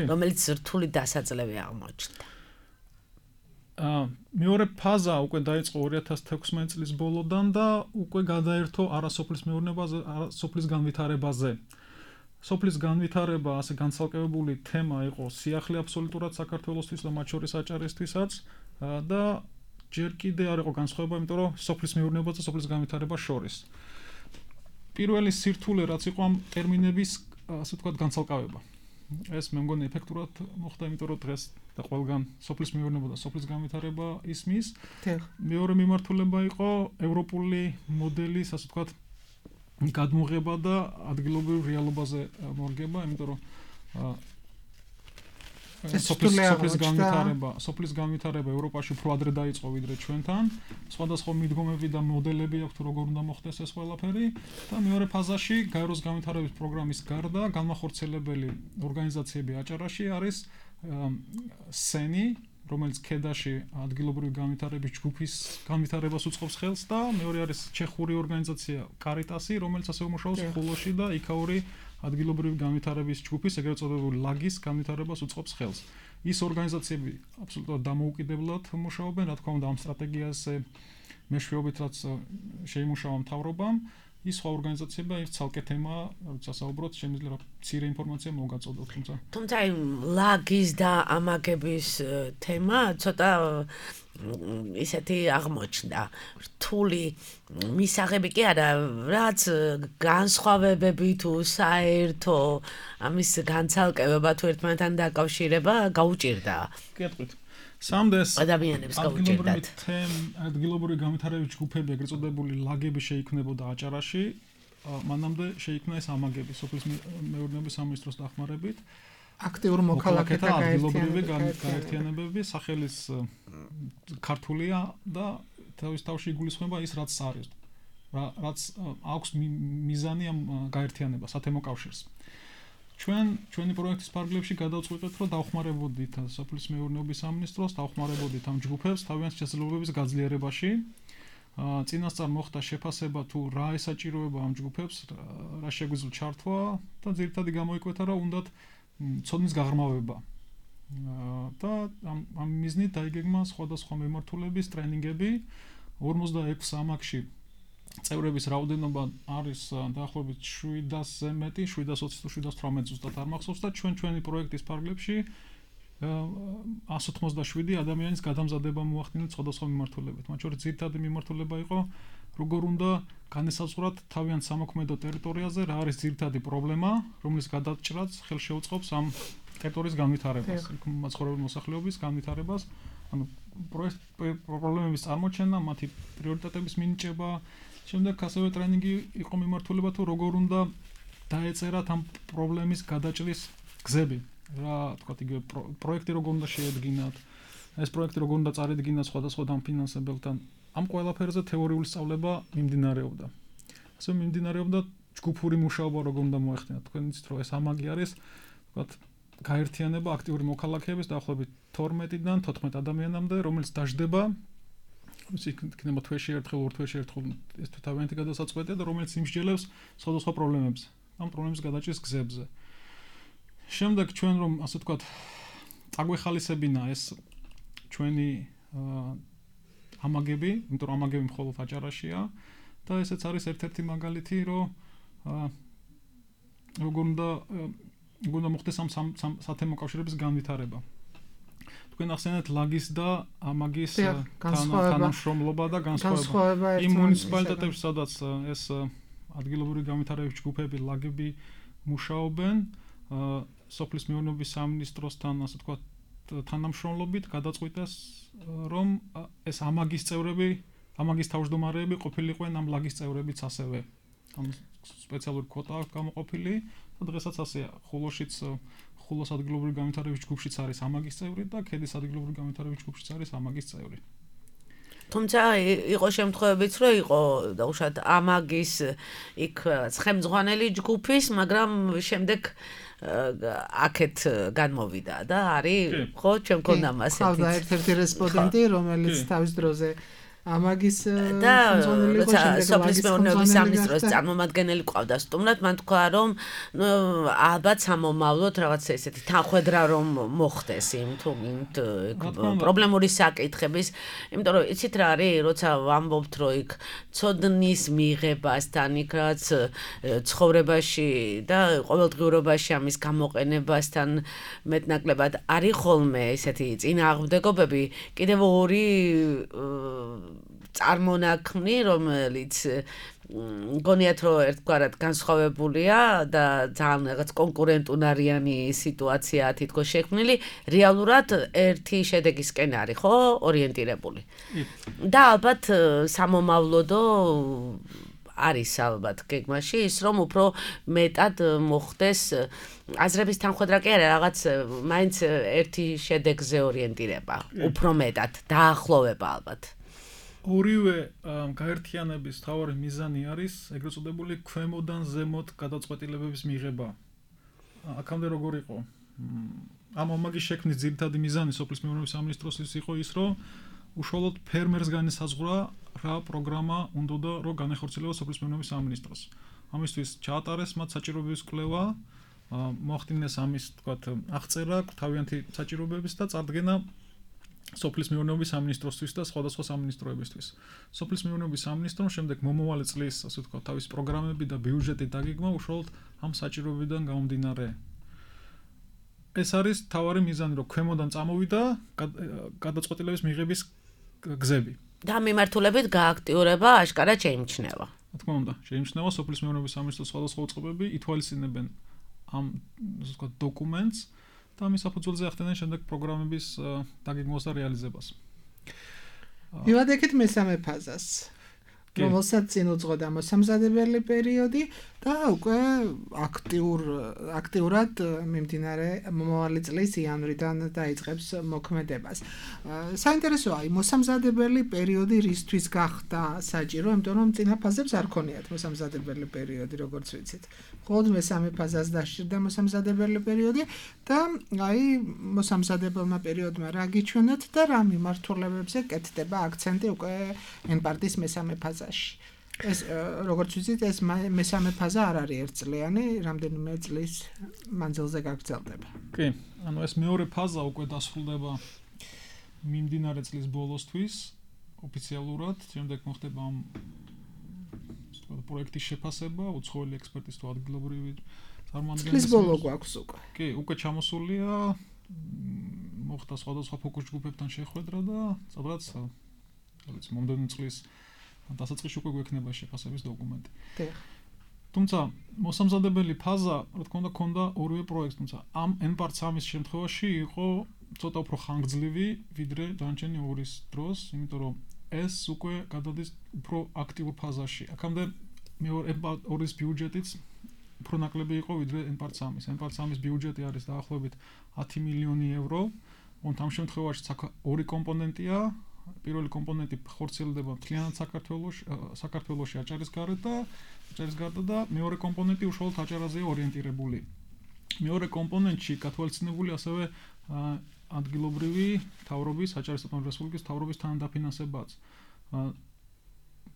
რომელიც რთული დასაძლევი აღმოჩნდა. აა მეორე ფაზა უკვე დაიწყო ორი ათას თექვსმეტ წლის ბოლოდან და უკვე გადაერთო არასოფლის მეურნეობაზე, არასოფლის განვითარებაზე. სოფლის განვითარება ასე განცალკევებული თემა იყო სიახლე აბსოლუტურად საქართველოსთვის და მათ შორის აჭარისთვისაც და ჯერ კიდე არ იყო განსხვავება, იმიტომ რომ სოფლის მეურნეობა და სოფლის განვითარება შორის. პირველი სირთულე რაც იყო ამ ტერმინების ასე ვთქვათ განცალკავება. ეს მე მგონი ეფექტურად მოხდა, იმიტომ რომ დღეს და ყველგან სოფლის მეურნეობა და სოფლის განვითარება ისმის. მეორე მიმართულება იყო ევროპული მოდელის ასე ვთქვათ გადმოღება და ადგილობრივ რეალობაზე მორგება, იმიტომ რომ სოფლის განვითარება, სოფლის განვითარება ევროპაში უფრო ადრე დაიწყო ვიდრე ჩვენთან. სხვადასხვა მიდგომები და მოდელები აქვს როგორ უნდა მოხდეს ეს ყველაფერი და მეორე ფაზაში გაეროს განვითარების პროგრამის გარდა განმახორციელებელი ორგანიზაციები აჭარაში არის სენი, რომელიც ქედაში ადგილობრივი განვითარების ჯგუფის განვითარებას უწყობს ხელს და მეორე არის ჩეხური ორგანიზაცია კარიტასი, რომელიც ასევე მუშაობს ხულოში და იქაური ადგილობრივი განვითარების ჯგუფის, ეგრეთ წოდებული ლაგის განვითარებას უწყობს ხელს. ის ორგანიზაციები აბსოლუტურად დამოუკიდებლად მუშაობენ, რა თქმა უნდა, ამ სტრატეგიაზე მეშვეობით რაც შეიმუშავა მთავრობამ, ის სხვა ორგანიზაციები ერთ ცალკე თემა, როცა საუბრობთ, შემიძლია მცირე ინფორმაცია მოგაწოდოთ, თუმცა თუმცა აი ლაგის და ამაგების თემა ცოტა ისეთი აღმოჩნდა. რთული მისაღები კი არა, რაც განსხვავებები თუ საერთო ამის განცალკევება თუ ერთმანეთთან დაკავშირება გაუჭირდა. კი ატყვით. სამდეს ადამიანებს გაუჭირდათ. ადგილობრივი განვითარების ჯგუფები, ეგრეთ წოდებული ლაგები შეიქმნებოდა აჭარაში, მანამდე შეიქმნა ეს ამაგები სოფლის მეურნეობის სამინისტროს დახმარებით. აქტიურ მოქალაქეთა ადგილობრივი გაერთიანებები, სახელის ქართულია და თავის თავში იგულისხმება ის რაც არის, რაც აქვს მიზანი ამ გაერთიანებას, ათემო კავშირს. ჩვენ ჩვენი პროექტის ფარგლებში გადავწყვეტეთ, რომ დავხმარებოდით სოფლის მეურნეობის სამინისტროს, დავხმარებოდით ამ ჯგუფებს თავიანთი შესაძლებლობების გაძლიერებაში. წინასწარ მოხდა შეფასება თუ რა ესაჭიროება ამ ჯგუფებს, რა შეგვიძლია ჩართვა და ძირითადად გამოიკვეთა, რომ უნდათ ცოდნის გაღრმავება. და ამ ამ მიზნით დაიგეგმა სხვადასხვა მიმართულების ტრენინგები ორმოცდაექვსი ამაგში წევრების რაოდენობა არის დაახლოებით შვიდასზე მეტი, შვიდას ოცი თუ შვიდას თვრამეტ ზუსტად არ მახსოვს და ჩვენ ჩვენი პროექტის ფარგლებში ასი ოცდაშვიდი ადამიანის გადამზადება მოახდინეთ სხვადასხვა მიმართულებით. მათ შორის ძირითადი მიმართულება იყო როგორ უნდა განესაზღვრათ თავიანთ სამოქმედო ტერიტორიაზე რა არის ძირითადი პრობლემა, რომლის გადაჭრაც ხელშეუწყობს ამ ტერიტორიის განვითარებას, მაცხოვრებელი მოსახლეობის განვითარებას, ანუ პრობლემების წარმოჩენა, მათი პრიორიტეტების მინიჭება, შემდეგ ასევე ტრენინგი იყო მიმართულება თუ როგორ უნდა დაეწერათ ამ პრობლემის გადაჭრის გზები. რა თქვათ იგივე პროექტი როგორ უნდა შეედგინათ, ეს პროექტი როგორ უნდა წარედგინათ სხვადასხვა დამფინანსებელთან. ამ ყველაფერზე თეორიული სწავლება მიმდინარეობდა. ასე მიმდინარეობდა ჯგუფური მუშაობა როგორ უნდა მოეხდინათ. თქვენ იცით რომ ეს ამაგი არის თქვათ გაერთიანება აქტიური მოქალაქეების დაახლოებით თორმეტიდან თოთხმეტ ადამიანამდე, რომელიც დაждდება ისე იქნება თვეში ერთხელ, ორ თვეში ერთხელ ეს თავიანთი გადასაწყვეტია და რომელიც იმსჯელებს სხვადასხვა პრობლემებზე, ამ პრობლემის გადაჭრის გზებზე. შემდეგ ჩვენ რომ ასე ვთქვათ აგვეხალისებინა ეს ჩვენი ამაგები, იმიტომ რომ ამაგები მხოლოდ აჭარაშია და ესეც არის ერთ-ერთი მაგალითი, რომ როგორ უნდა როგორ უნდა მოხდეს ამ სათემო კავშირების განვითარება. თქვენ ახსენეთ ლაგის და ამაგის თანამშრომლობა და განსხვავება იმ მუნიციპალიტეტებში, სადაც ეს ადგილობრივი განვითარების ჯგუფები, ლაგები მუშაობენ, სოფლის მეურნეობის სამინისტროსთან, ასე ვთქვათ, თანამშრომლობით გადაწყვიტეს, რომ ეს ამაგის წევრები, ამაგის თავმჯდომარეები ყოფილიყვენ ამ ლაგის წევრებიც ასევე. ამ სპეციალური კვოტა აქვს გამოყოფილი და დღესაც ასეა. ხულოშიც ხულოს ადგილობრივი განვითარების ჯგუფშიც არის ამაგის წევრი და ქედის ადგილობრივი განვითარების ჯგუფშიც არის ამაგის წევრი. თუმცა იყო შემთხვევებიც, რომ იყო დაუშვათ ამაგის იქ ცხემძღვანელი ჯგუფის, მაგრამ შემდეგ აქეთ განმოვიდა და არის ხო ჩვენ გქონდა მასეთი. ხავდა ერთ-ერთი რესპონდენტი, რომელიც თავის დროზე ამაგის და სოფლის მეურნეობის სამინისტროს წარმომადგენელი ყავდა სტუმრად, მან თქვა რომ ალბათ სამომავლოდ რაღაც ესეთი თანხwebdriver რომ მოხდეს იმ თუ იმ პრობლემური საკითხების, იმიტომ რომ იცით რა არის, როცა ვამბობთ რომ იქ ცოდნის მიღებასთან, იქ რაც ცხოვრებაში და ყოველდღიურობაში ამის გამოყენებასთან მეტნაკლებად არის ხოლმე ესეთი წინააღმდეგობები, კიდევ ორი წარმონაქმნი, რომელიც მგონიათ რომ ერთგვარად განსხვავებულია და ძალიან რაღაც კონკურენტუნარიანი სიტუაცია თითქოს შექმნილი, რეალურად ერთი შედეგისკენ არის, ხო, ორიენტირებული. და ალბათ სამომავლოდო არის ალბათ გეგმაში ის, რომ უფრო მეტად მოხდეს აზრების თანხwebdriver კი არა, რაღაც მაინც ერთი შედეგზე ორიენტირება, უფრო მეტად დაახლოვება ალბათ. ორივე გაერთიანების მთავარი მიზანი არის ეგრეთ წოდებული ქვემოდან ზემოთ გადაწყვეტილებების მიღება. აქამდე როგორ იყო? ამ ამაგის შექმნის ძირითადი მიზანი სოფლის მეურნეობის სამინისტროსთვის იყო ის, რომ უშუალოდ ფერმერს განესაზღვრა რა პროგრამა უნდა რომ განეხორციელოს სოფლის მეურნეობის სამინისტროს. ამისთვის ჩაატარეს მათ საჭიროებების კვლევა, მოახდინეს ამის, თქვათ, აღწერა თავიანთი საჭიროებების და წარდგენა სოფლის მეურნეობის სამინისტროსთვის და სხვადასხვა სამინისტროებისთვის. სოფლის მეურნეობის სამინისტრომ შემდეგ მომავალი წლის, ასე ვთქვათ, თავის პროგრამები და ბიუჯეტი დაგეგმა უშუალოდ ამ საჭიროებებიდან გამომდინარე. ეს არის თავარი მიზანი, რომ ქვემოდან წამოვიდა გადაწყვეტილების მიღების გზები. და მიმართულებით გააქტიურება აშკარად შეიმჩნევა. რა თქმა უნდა, შეიმჩნევა სოფლის მეურნეობის სამინისტროს სხვადასხვა უწყებები ითვალისწინებენ ამ, ასე ვთქვათ, დოკუმენტს და ამის საფუძველზე ახდენენ შემდეგ პროგრამების დაგეგმვას და რეალიზებას. მივადგეთ მესამე ფაზას, რომელსაც წინ უძღოდა მოსამზადებელი პერიოდი და უკვე აქტიურ აქტიურად მიმდინარე მომავალი წლის იანვრიდან დაიწყებს მოქმედებას. საინტერესოა, მოსამზადებელი პერიოდი რისთვის გახდა საჭირო, იმიტომ რომ წინა ფაზებს არ ქონიათ მოსამზადებელი პერიოდი, როგორც ვიცით. მხოლოდ მესამე ფაზას დასჭირდა მოსამზადებელი პერიოდი და აი მოსამზადებელმა პერიოდმა რა გიჩვენეთ და რა მიმართულებებზე კეთდება აქცენტი უკვე ენპარტის მესამე ფაზაში. ეს როგორც ვიცით, ეს მესამე ფაზა არ არის ერთწლიანი, რამდენიმე წლის მანძილზე გაგრძელდება. კი, ანუ ეს მეორე ფაზა უკვე დასრულდება მიმდინარე წლის ბოლოსთვის ოფიციალურად, შემდეგ მოხდება ამ თქვა პროექტის შეფასება, უცხოელი ექსპერტის თუ ადგილობრივი წარმომადგენლების. წლის ბოლო გვაქვს უკვე. კი, უკვე ჩამოსულია, მოხდა სხვადასხვა ფოკუს ჯგუფებთან შეხვედრა და სადღაც რაც მომდევნო წლის დასაწყისში უკვე გვექნება შეფასების დოკუმენტი. დიახ. თუმცა მოსამზადებელი ფაზა, რა თქმა უნდა, ქონდა ორივე პროექტს, თუმცა ამ N-part სამის შემთხვევაში იყო ცოტა უფრო ხანგრძლივი, ვიდრე დანარჩენი ორის დროს, იმიტომ რომ ეს უკვე გადადის უფრო აქტიურ ფაზაში. აქამდე მეორე N-part ორის ბიუჯეტიც უფრო ნაკლები იყო ვიდრე N-part სამის. N-part სამის ბიუჯეტი არის დაახლოებით ათი მილიონი ევრო. თუმცა ამ შემთხვევაში ორი კომპონენტია. პირველი კომპონენტი ხორციელდება მთლიანად საქართველოში, საქართველოში აჭარის გარეთ და აჭარის გარდა და მეორე კომპონენტი უშუალოდ აჭარაზეა ორიენტირებული. მეორე კომპონენტში გათვალისწინებული ასევე ადგილობრივი მთავრობის, აჭარის ავტონომიური რესპუბლიკის მთავრობის თანადაფინანსებაც.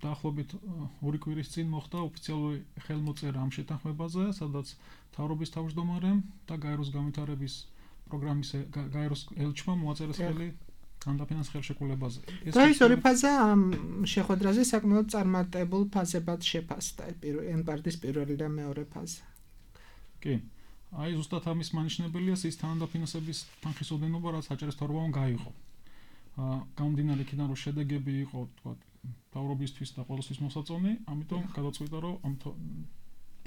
დაახლოებით ორი კვირის წინ მოხდა ოფიციალური ხელმოწერა ამ შეთანხმებაზე, სადაც მთავრობის თავმჯდომარემ და გაეროს განვითარების პროგრამის გაეროს ელჩმა მოაწერეს ხელი თანდაფინანს ხელშეკრულებაზე. და ის ორი ფაზა ამ შეხვედრაზე საკმაოდ წარმატებულ ფაზებად შეფასდა, N-part-ის პირველი და მეორე ფაზა. კი. აი ზუსტად ამის მანიშნებელია ის თანადაფინანსების თანხის ოდენობა, რაც აჭარის მთავრობამ გაიღო. აა გამომდინარე იქიდან, რომ შედეგები იყო, თქვა, მთავრობისთვის და ყოველთვის მოსაწონი, ამიტომ გადაწყვიტა, რომ ამ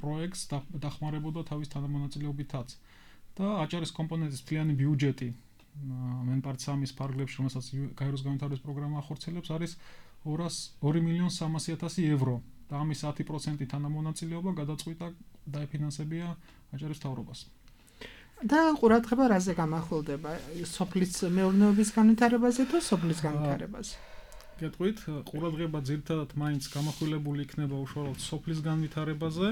პროექტს დახმარებოდა თავის თანამონაწილეობითაც. და აჭარის კომპონენტის მთლიანი ბიუჯეტი N-part სამის ფარგლებში, რომელსაც გაეროს განვითარების პროგრამა ახორციელებს, არის ორი მილიონი სამასი ათასი ევრო. და ამის ათი პროცენტი თანამონაწილეობა გადაწყვიტა დაეფინანსებია აჭარის მთავრობას. და ყურადღება რაზე გამახვილდება? სოფლის მეურნეობის განვითარებაზე თუ სოფლის განვითარებაზე? გეტყვით, ყურადღება ძირითადად მაინც გამახვილებული იქნება უშუალოდ სოფლის განვითარებაზე,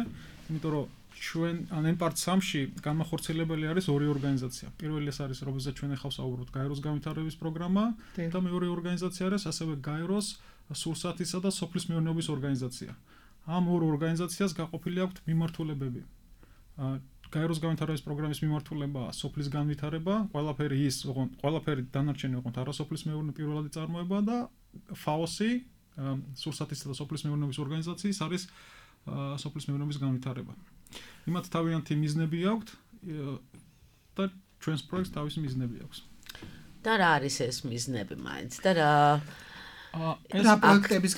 იმიტომ რომ ჩვენ N-part სამში განმახორციელებელი არის ორი ორგანიზაცია. პირველი ეს არის, რომელზეც ჩვენ ახლა ვსაუბრობთ, გაეროს განვითარების პროგრამა და მეორე ორგანიზაცია არის ასევე გაეროს სურსათისა და სოფლის მეურნეობის ორგანიზაცია. ამ ორ ორგანიზაციას გაყოფილი აქვთ მიმართულებები. გაეროს განვითარების პროგრამის მიმართულება სოფლის განვითარება, ყველაფერი ის, ყველაფერი დანარჩენი ოღონდ არასოფლის მეურნეობის პირველადი წარმოება და ფაოსი, სურსათისა და სოფლის მეურნეობის ორგანიზაციის არის სოფლის მეურნეობის განვითარება. იმათ თავიანთი მიზნები აქვთ და ჩვენს პროექტს თავისი მიზნები აქვს. და რა არის ეს მიზნები მაინც და რა რა პროექტების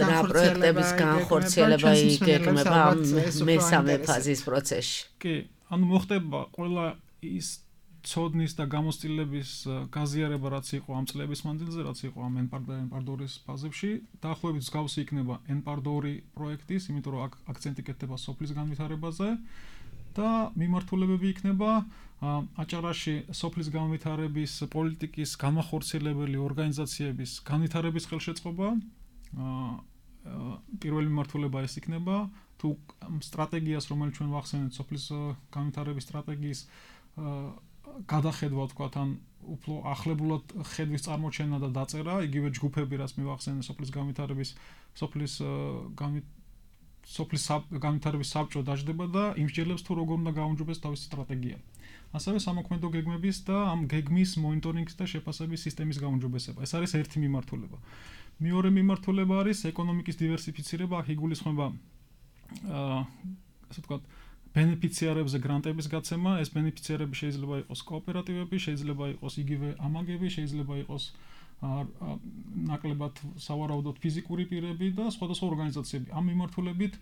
განხორციელება იგეგმება მესამე ფაზის პროცესში? კი, ანუ მოხდება ყველა ის ცოდნის და გამოცდილების გაზიარება, რაც იყო ამ წლების მანძილზე, რაც იყო ამ N-part და N-part ორის ფაზებში, დაახლოებით მსგავსი იქნება N-part ორი პროექტის, იმიტომ რომ აქ აქცენტი კეთდება სოფლის განვითარებაზე და მიმართულებები იქნება აჭარაში სოფლის განვითარების პოლიტიკის განმახორციელებელი ორგანიზაციების განვითარების ხელშეწყობა. პირველი მიმართულება ეს იქნება, თუ სტრატეგიას, რომელიც ჩვენ ვახსენეთ, სოფლის განვითარების სტრატეგიის გადახედვა, თქვათ, ან უფრო ახლებულად ხედვის წარმოჩენა და დაწერა, იგივე ჯგუფები, რაც მივახსენე სოფლის განვითარების სოფლის სოფლის განვითარების საბჭო დაждდება და იმსჯელებს თუ როგორ უნდა გაუმჯობესდეს თავისი სტრატეგია. ასევე სამოქმედო გეგმების და ამ გეგმის მონიტორინგის და შეფასების სისტემის გაუმჯობესება. ეს არის ერთი მიმართულება. მეორე მიმართულება არის ეკონომიკის დივერსიფიცირება, აქ იგულისხმება აა ასე ვთქვათ, ბენეფიციარებზე გრანტების გაცემა. ეს ბენეფიციარები შეიძლება იყოს კოოპერატივები, შეიძლება იყოს იგივე ამაგები, შეიძლება იყოს ნაკლებად სავარაუდოდ ფიზიკური პირები და სხვადასხვა ორგანიზაციები. ამ მიმართულებით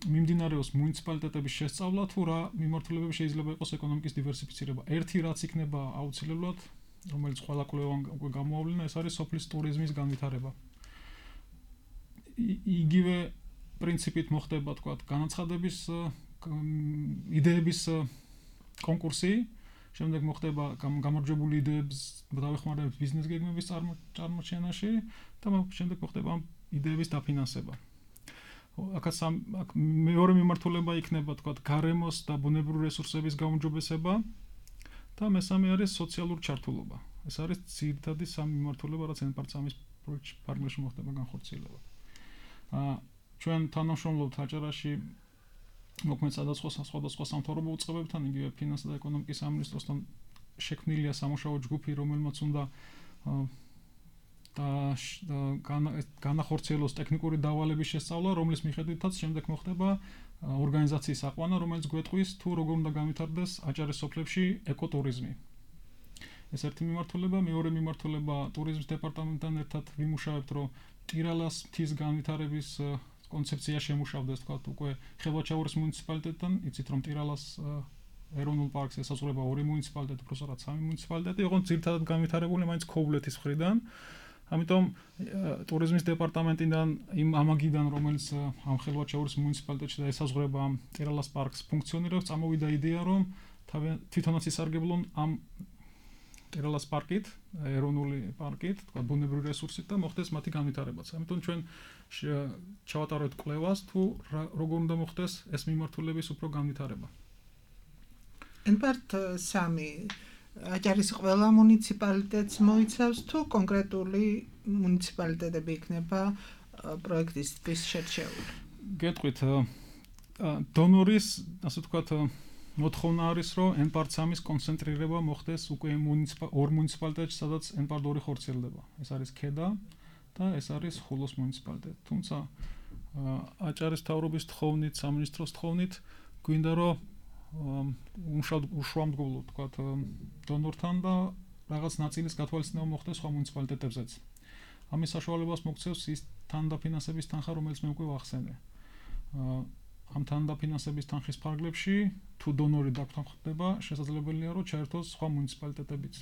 მიმდინარეობს მუნიციპალიტეტების შესწავლა, თუ რა მიმართულებები შეიძლება იყოს ეკონომიკის დივერსიფიცირება. ერთი რაც იქნება აუცილებლად, რომელიც ყველა კვლევამ უკვე გამოავლინა, ეს არის სოფლის ტურიზმის განვითარება. იგივე პრინციპით მოხდება, თქვათ, განაცხადების იდეების კონკურსი, შემდეგ მოხდება გამარჯვებული იდეების დავეხმარებით ბიზნეს გეგმების წარმოჩენაში და შემდეგ მოხდება იდეების დაფინანსება. აქაც მეორე მიმართულება იქნება, თქვათ, გარემოს და ბუნებრივი რესურსების გაუმჯობესება და მესამე არის სოციალური ჩართულობა. ეს არის ძირითადი სამი მიმართულება, რაც N-part სამის პროექტში ფარგლებში მოხდება განხორციელება. აა ჩვენ თანამშრომლობთ აჭარაში მოქმედ სხვადასხვა სხვადასხვა სამთავრობო უწყებებთან, იგივე ფინანსთა და ეკონომიკის სამინისტროსთან შექმნილია სამუშაო ჯგუფი, რომელმაც უნდა და განახორციელოს ტექნიკური დავალების შესწავლა, რომლის მიხედვითაც შემდეგ მოხდება ორგანიზაციის აყვანა, რომელიც გვეტყვის თუ როგორ უნდა განვითარდეს აჭარის სოფლებში ეკოტურიზმი. ეს ერთი მიმართულება, მეორე მიმართულება ტურიზმის დეპარტამენტთან ერთად ვიმუშავებთ, რომ ტირალას მთის განვითარების კონცეფცია შემუშავდეს, თქვა უკვე ხევაჩაურის მუნიციპალიტეტთან, იცით რომ ტირალას ეროვნულ პარკს ესაზღვრება ორი მუნიციპალიტეტი, უბრალოდ სამი მუნიციპალიტეტი, იყო ძირითადად განვითარებული მაინც ქოვლეთის მხრიდან. ამიტომ ტურიზმის დეპარტამენტიდან იმ ამაგიდან, რომელიც ამ ხევაჩაურის მუნიციპალიტეტში და ესაზღვრება ამ ტირალას პარკს ფუნქციონირებს, წამოვიდა იდეა, რომ თვითონაც ისარგებლონ ამ ტირალას პარკით, ეროვნული პარკით, თქვა ბუნებრივი რესურსით და მოხდეს მათი განვითარებაც. ამიტომ ჩვენ ჩავატარებთ კვლევას, თუ როგორ უნდა მოხდეს ეს მიმართულების უფრო განვითარება. ენპარტ სამი აჭარის ყველა მუნიციპალიტეტს მოიცავს თუ კონკრეტული მუნიციპალიტეტები იქნება პროექტისთვის შერჩეული? გეტყვით, დონორის, ასე ვთქვათ, მოთხოვნა არის, რომ ენპარტ სამის კონცენტრირება მოხდეს უკვე ორ მუნიციპალიტეტში, სადაც ენპარტ ორი ხორციელდება. ეს არის ქედა და ეს არის ხულოს მუნიციპალიტეტი. თუმცა აჭარის მთავრობის თხოვნით, სამინისტროს თხოვნით გვინდა რომ უშუალოდ ვთქვათ დონორთან და რაღაც ნაწილის გათვალისწინება მოხდეს სხვა მუნიციპალიტეტებზეც. ამის საშუალებას მოგცევს ის თანდაფინანსების თანხა, რომელიც მე უკვე ვახსენე. ამ თანდაფინანსების თანხის ფარგლებში თუ დონორი დაგხვდება, შესაძლებელია რომ ჩაერთოს სხვა მუნიციპალიტეტებიც.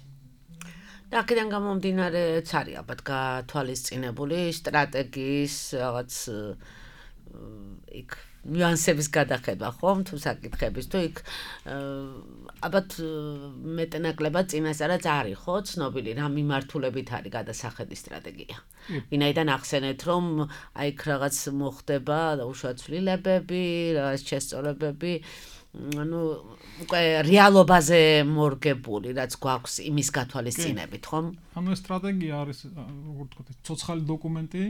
და აქედან გამომდინარეც არის ალბათ გათვალისწინებული სტრატეგიის რაღაც იქ ნიუანსების გადახედვა ხომ თუ საკითხების თუ იქ ალბათ მეტნაკლებად წინასწარაც არის ხო ცნობილი რა მიმართულებით არის გადასახედი სტრატეგია. ვინაიდან ახსენეთ რომ აი იქ რაღაც მოხდება უშუალოდ ცვლილებები, რაღაც შესწორებები, ანუ უკვე რეალობაზე მორგებული რაც გვაქვს იმის გათვალისწინებით ხომ? ანუ ეს სტრატეგია არის როგორ ვთქვათ, ცოცხალი დოკუმენტი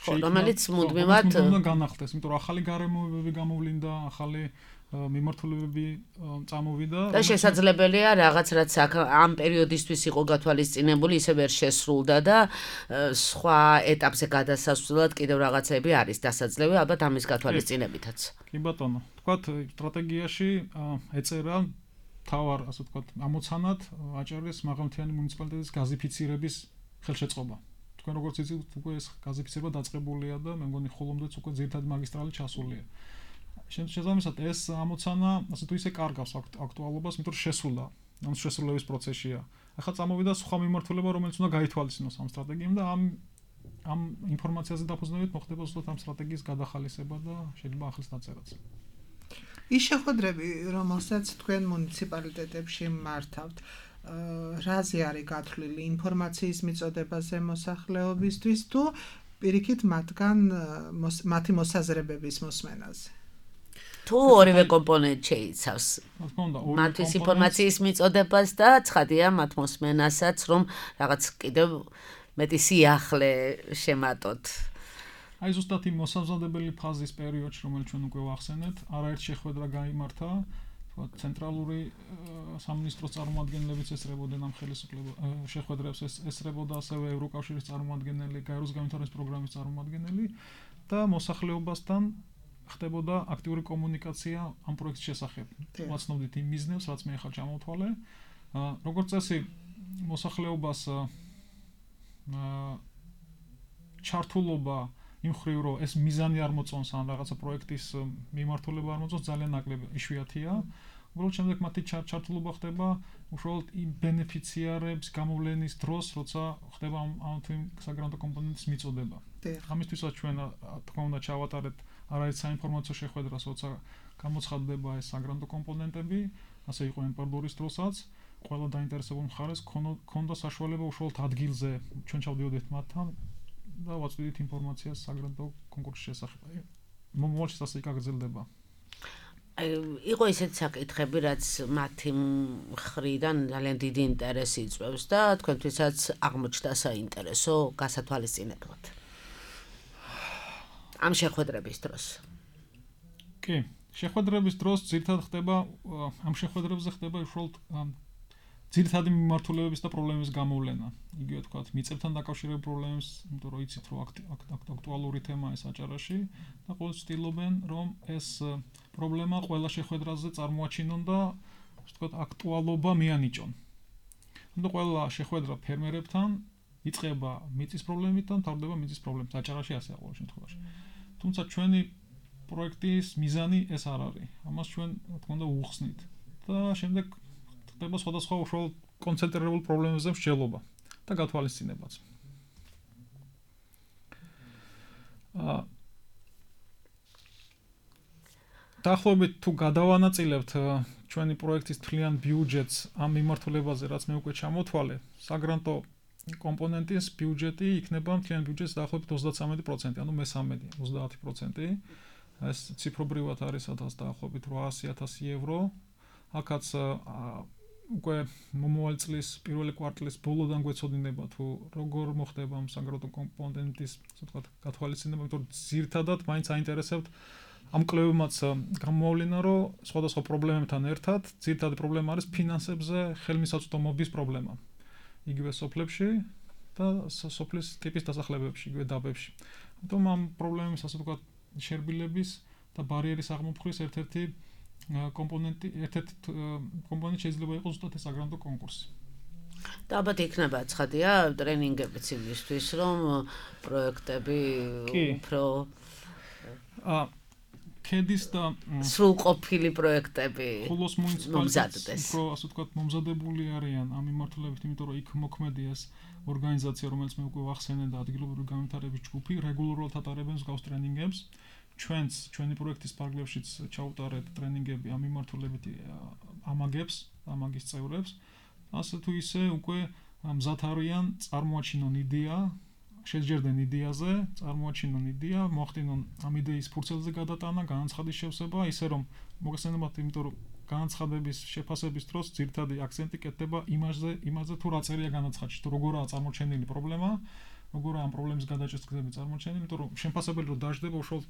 რომელიც მუდმივად უნდა განახლდეს, იმიტომ რომ ახალი გარემოებები გამოვლინდა, ახალი მიმართულებები წამოვიდა და შესაძლებელია რაღაც რაც ამ პერიოდისთვის იყო გათვალისწინებული, ისე ვერ შესრულდა და სხვა ეტაპზე გადასასვლელად კიდევ რაღაცები არის დასაძლევი, ალბათ ამის გათვალისწინებითაც. კი ბატონო, თქვათ სტრატეგიაში ეწერა თავარ, ასე ვთქვათ, ამოცანად აჭარის მაღალმთიანი მუნიციპალიტეტის გაზიფიცირების ხელშეწყობა. თქვენ როგორც იცით, უკვე ეს გაზიფიცირება დაწყებულია და მე მგონი ხოლმეც უკვე ძირითადი მაგისტრალი ჩასულია. შესაბამისად ეს ამოცანა ასე თუ ისე კარგავს აქტუალობას, იმიტომ რომ შესრულდა, ამ შესრულების პროცესია. ახლა წამოვიდა სხვა მიმართულება, რომელიც უნდა გაითვალისწინოს ამ სტრატეგიამ და ამ ამ ინფორმაციაზე დაფუძნებით მოხდება უბრალოდ ამ სტრატეგიის გადახალისება და შეიძლება ახლის დაწერაც. ის შეხვედრები, რომელსაც თქვენ მუნიციპალიტეტებში მართავთ, რაზე არის გათვლილი ინფორმაციის მიწოდებაზე მოსახლეობისთვის თუ პირიქით მათგან მათი მოსაზრებების მოსმენაზე? თუ ორივე კომპონენტი შეიცავს მათთვის ინფორმაციის მიწოდებას და ცხადია მათ მოსმენასაც, რომ რაღაც კიდევ მეტი სიახლე შემატოთ. აი ზუსტად იმ მოსამზადებელი ფაზის პერიოდში, რომელიც ჩვენ უკვე ვახსენეთ, არაერთ შეხვედრა გაიმართა, თქვათ ცენტრალური სამინისტროს წარმომადგენლებიც ესწრებოდნენ ამ ხელისუფლებას შეხვედრებს, ესწრებოდა ასევე ევროკავშირის წარმომადგენელი, გაეროს განვითარების პროგრამის წარმომადგენელი და მოსახლეობასთან ხდებოდა აქტიური კომუნიკაცია ამ პროექტის შესახებ. ვაცნობდით იმ მიზნებს, რაც მე ახლა ჩამოვთვალე. როგორც წესი, მოსახლეობას ჩართულობა იმ ხრივ, რომ ეს მიზანი არ მოწონს ან რაღაცა პროექტის მიმართულება არ მოწონს, ძალიან ნაკლები, იშვიათია. უბრალოდ შემდეგ მათი ჩართულობა ხდება უშუალოდ იმ ბენეფიციარებს გამოვლენის დროს, როცა ხდება ამ თუ იმ საგრანტო კომპონენტის მიწოდება. ამისთვისაც ჩვენ თქმა უნდა ჩავატარეთ არაერთ საინფორმაციო შეხვედრას, როცა გამოცხადდება ეს საგრანტო კომპონენტები, ასე იყო ენპარდორის დროსაც, ყველა დაინტერესებულ მხარეს ქონდა საშუალება უშუალოდ ადგილზე ჩვენ ჩავდიოდით მათთან და ვაწვდით ინფორმაციას საგრანტო კონკურსის შესახებ. მომავალში ასე გაგრძელდება. იყო ისეთი საკითხები, რაც მათი მხრიდან ძალიან დიდი ინტერესი იწვევს და თქვენთვისაც აღმოჩნდა საინტერესო გასათვალისწინებლად. ამ შეხვედრების დროს. კი, შეხვედრების დროს ძირითადად ხდება ამ შეხვედრებზე ხდება უშუალოდ ძირითადი მიმართულებების და პრობლემების გამოვლენა. იგივე თქვათ, მიწებთან დაკავშირებული პრობლემებს, იმიტომ რომ იცით, რომ აქტუალური თემაა ეს აჭარაში და ყოველთვის ვცდილობენ, რომ ეს პრობლემა ყველა შეხვედრაზე წარმოაჩინონ და ასე ვთქვათ, აქტუალობა მიანიჭონ. ანუ ყველა შეხვედრა ფერმერებთან იწყება მიწის პრობლემით და მთავრდება მიწის პრობლემით. აჭარაში ასეა ყოველ შემთხვევაში. თუმცა ჩვენი პროექტის მიზანი ეს არ არის. ამას ჩვენ რა თქმა უნდა უხსნით და შემდეგ ხდება სხვადასხვა უშუალოდ კონცენტრირებულ პრობლემებზე მსჯელობა და გათვალისწინებაც. აა დაახლოებით თუ გადავანაწილებთ ჩვენი პროექტის თვლიან ბიუჯეტს ამ მიმართულებაზე, რაც მე უკვე ჩამოთვალე, საგრანტო კომპონენტის ბიუჯეტი იქნება მთლიან ბიუჯეტის დაახლოებით ოცდათსამეტი პროცენტი, ანუ მესამედი, ოცდაათი პროცენტი. ეს ციფრობრივად არის დაახლოებით ოთხასი ათასი ევრო. აქაც უკვე მომავალი წლის პირველი კვარტლის ბოლოდან გვეცოდინება თუ როგორ მოხდება ამ საგრანტო კომპონენტის, ასე ვთქვათ, გათვალისწინება, იმიტომ რომ ძირთადად მაინც აინტერესებთ ამ კვლევებმაც გამოვავლინა, რომ სხვადასხვა პრობლემებთან ერთად ძირითადი პრობლემა არის ფინანსებზე ხელმისაწვდომობის პრობლემა. იგივე სოფლებში და სოფლის ტიპის დასახლებებში, იგივე დაბებში. ამიტომ ამ პრობლემების, ასე ვთქვათ, შერბილების და ბარიერის აღმოფხვის ერთ-ერთი კომპონენტი, ერთ-ერთი კომპონენტი შეიძლება იყოს ზუსტად ეს საგრანტო კონკურსი. და ალბათ იქნება ცხადია ტრენინგებიც იმისთვის, რომ პროექტები უფრო აა ქედის და სრულყოფილი პროექტები ხოლოს მუნიციპალიტეტს უფრო ასე ვთქვათ მომზადებული არიან ამ მიმართულებით, იმიტომ რომ იქ მოქმედი ეს ორგანიზაცია, რომელიც მე უკვე ვახსენე და ადგილობრივი განვითარების ჯგუფი რეგულარულად ატარებენ მსგავს ტრენინგებს. ჩვენც ჩვენი პროექტის ფარგლებშიც ჩაუტარეთ ტრენინგები ამ მიმართულებით ამაგებს, ამაგის წევრებს. ასე თუ ისე უკვე მზად არიან წარმოაჩინონ იდეა, შეჯერდნენ იდეაზე, წარმოაჩინონ იდეა, მოახდინონ ამ იდეის ფურცელზე გადატანა, განაცხადის შევსება, ისე რომ მოგესალმებათ, იმიტომ რომ განაცხადების შეფასების დროს ძირითადი აქცენტი კეთდება იმაზე, იმაზე თუ რა წერია განაცხადში, თუ როგორაა წარმოჩენილი პრობლემა, როგორაა ამ პრობლემის გადაჭრის გზები წარმოჩენილი, იმიტომ რომ შემფასებელი რო დაждდება, უშუალოდ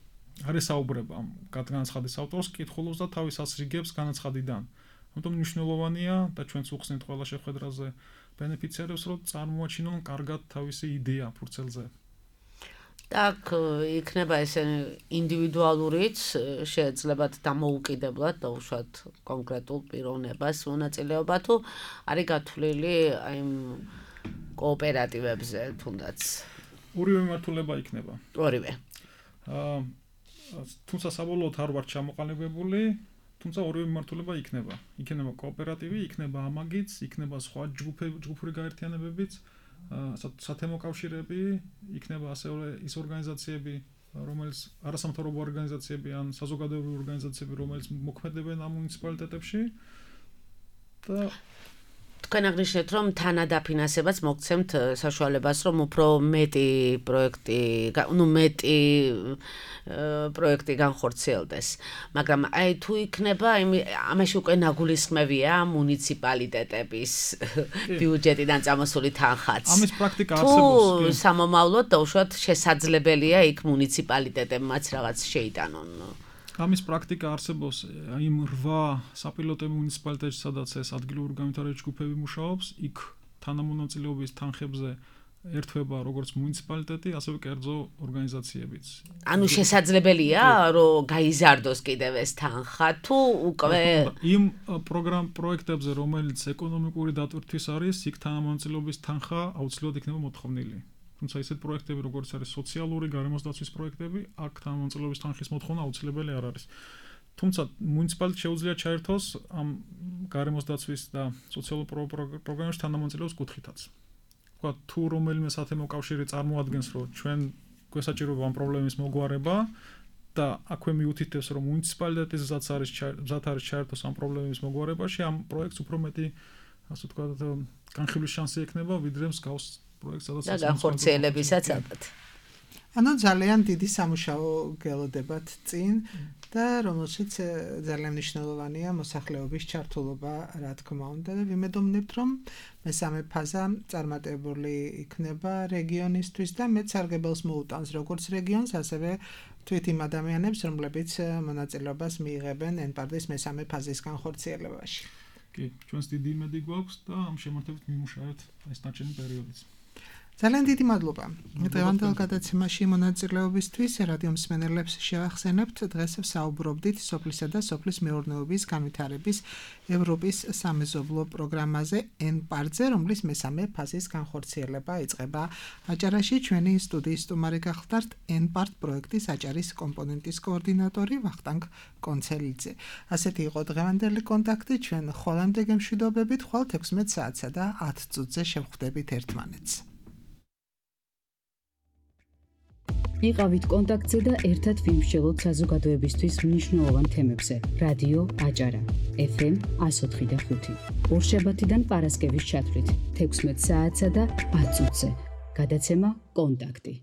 არ ესაუბრება ამ განაცხადის ავტორს, კითხულობს და თავის ასრიგებს განაცხადიდან. ამიტომ მნიშვნელოვანია და ჩვენც უხსნით ყველა შეხვედრაზე ბენეფიციარებს, რომ წარმოაჩინონ კარგად თავისი იდეა ფურცელზე. так, იქნება ესე ინდივიდუალურიც, შეეძლებათ დამოუკიდებლად და უშუალოდ კონკრეტულ პიროვნებას მონაწილეობა თუ არის გათვლილი აი კოოპერატივებზე თუნდაც. ორივე მიმართულება იქნება. ორივე. აა თუმცა საბოლოოდ არ ვარ ჩამოყალიბებული, თუმცა ორივე მიმართულება იქნება. იქნება კოოპერატივი, იქნება ამაგიც, იქნება სხვა ჯგუფები, ჯგუფური გაერთიანებებიც, სათემო კავშირები, იქნება ასევე ის ორგანიზაციები, რომელიც არასამთავრობო ორგანიზაციები ან საზოგადოებრივი ორგანიზაციები, რომელიც მოქმედებენ ამ მუნიციპალიტეტებში და თქვენ აღნიშნეთ, რომ თანადაფინანსებაც მოგცემთ საშუალებას, რომ უფრო მეტი პროექტი, ну მეტი პროექტი განხორციელდეს. მაგრამ აი თუ იქნება, ამაში უკვე ნაგულისხმევია მუნიციპალიტეტების ბიუჯეტიდან წამოსული თანხაც. ამის პრაქტიკა არსებობს. თუ სამომავლოდ და უშუალოდ შესაძლებელია იქ მუნიციპალიტეტებმაც რაღაც შეიტანონ. ამის პრაქტიკა არსებობს იმ რვა საპილოტო მუნიციპალიტეტში, სადაც ეს ადგილობრივი განვითარების ჯგუფები მუშაობს, იქ თანამონაწილეობის თანხებზე ერთვება როგორც მუნიციპალიტეტი, ასევე კერძო ორგანიზაციებიც. ანუ შესაძლებელია, რომ გაიზარდოს კიდევ ეს თანხა, თუ უკვე იმ პროგრამ პროექტებზე, რომელიც ეკონომიკური დატვირთვის არის, იქ თანამონაწილეობის თანხა აუცილებლად იქნება მოთხოვნილი. თუმცა ისეთ პროექტები, როგორც არის სოციალური გარემოს დაცვის პროექტები, აქ თანამონაწილეობის თანხის მოთხოვნა აუცილებელი არ არის. თუმცა მუნიციპალიტეტს შეუძლია ჩაერთოს ამ გარემოს დაცვის და სოციალურ პროგრამებში თანამონაწილეობის კუთხითაც. თქვა თუ რომელიმე სათემო კავშირი წარმოადგენს, რომ ჩვენ გვესაჭიროება ამ პრობლემის მოგვარება და აქვე მიუთითებს, რომ მუნიციპალიტეტის გზაც არის გზად არის ჩაერთოს ამ პრობლემის მოგვარებაში, ამ პროექტს უფრო მეტი, ასე ვთქვათ, განხილვის შანსი ექნება, ვიდრე მსგავს პროექტს, სადაც და განხორციელებისაც ალბათ. ანუ ძალიან დიდი სამუშაო გელოდებათ წინ და რომელშიც ძალიან მნიშვნელოვანია მოსახლეობის ჩართულობა, რა თქმა უნდა, და ვიმედოვნებთ, რომ მესამე ფაზა წარმატებული იქნება რეგიონისთვის და მეც სარგებელს მოუტანს როგორც რეგიონს, ასევე თვით იმ ადამიანებს, რომლებიც მონაწილეობას მიიღებენ ენპარდის მესამე ფაზის განხორციელებაში. კი, ჩვენს დიდი იმედი გვაქვს და ამ შემართებით მიმუშავებთ ეს ნაჩვენი პერიოდიც. ძალიან დიდი მადლობა. დღევანდელ გადაცემაში მონაწილეობისთვის რადიო მსმენელებს შევახსენებთ, დღეს ვსაუბრობდით სოფლისა და სოფლის მეურნეობის განვითარების ევროპის სამეზობლო პროგრამაზე ENPART-ზე, რომლის მესამე ფაზის განხორციელება იწყება აჭარაში. ჩვენი სტუდიის სტუმარი გახლდათ ENPART პროექტის აჭარის კომპონენტის კოორდინატორი ვახტანგ კონცელიძე. ასეთი იყო დღევანდელი კონტაქტი. ჩვენ ხოლამდე გემშვიდობებით, ხვალ ექვსმეტ საათსა და ათ წუთზე შევხვდებით ერთმანეთს. იყავით კონტაქტზე და ერთად ვიმსჯელოთ საზოგადოებისთვის მნიშვნელოვან თემებზე. რადიო აჭარა ეფ ემ εκατო ოთხი და ხუთი. ორშაბათიდან პარასკევის ჩათვლით ექვსმეტ საათსა და ათ წუთზე. გადაცემა კონტაქტი.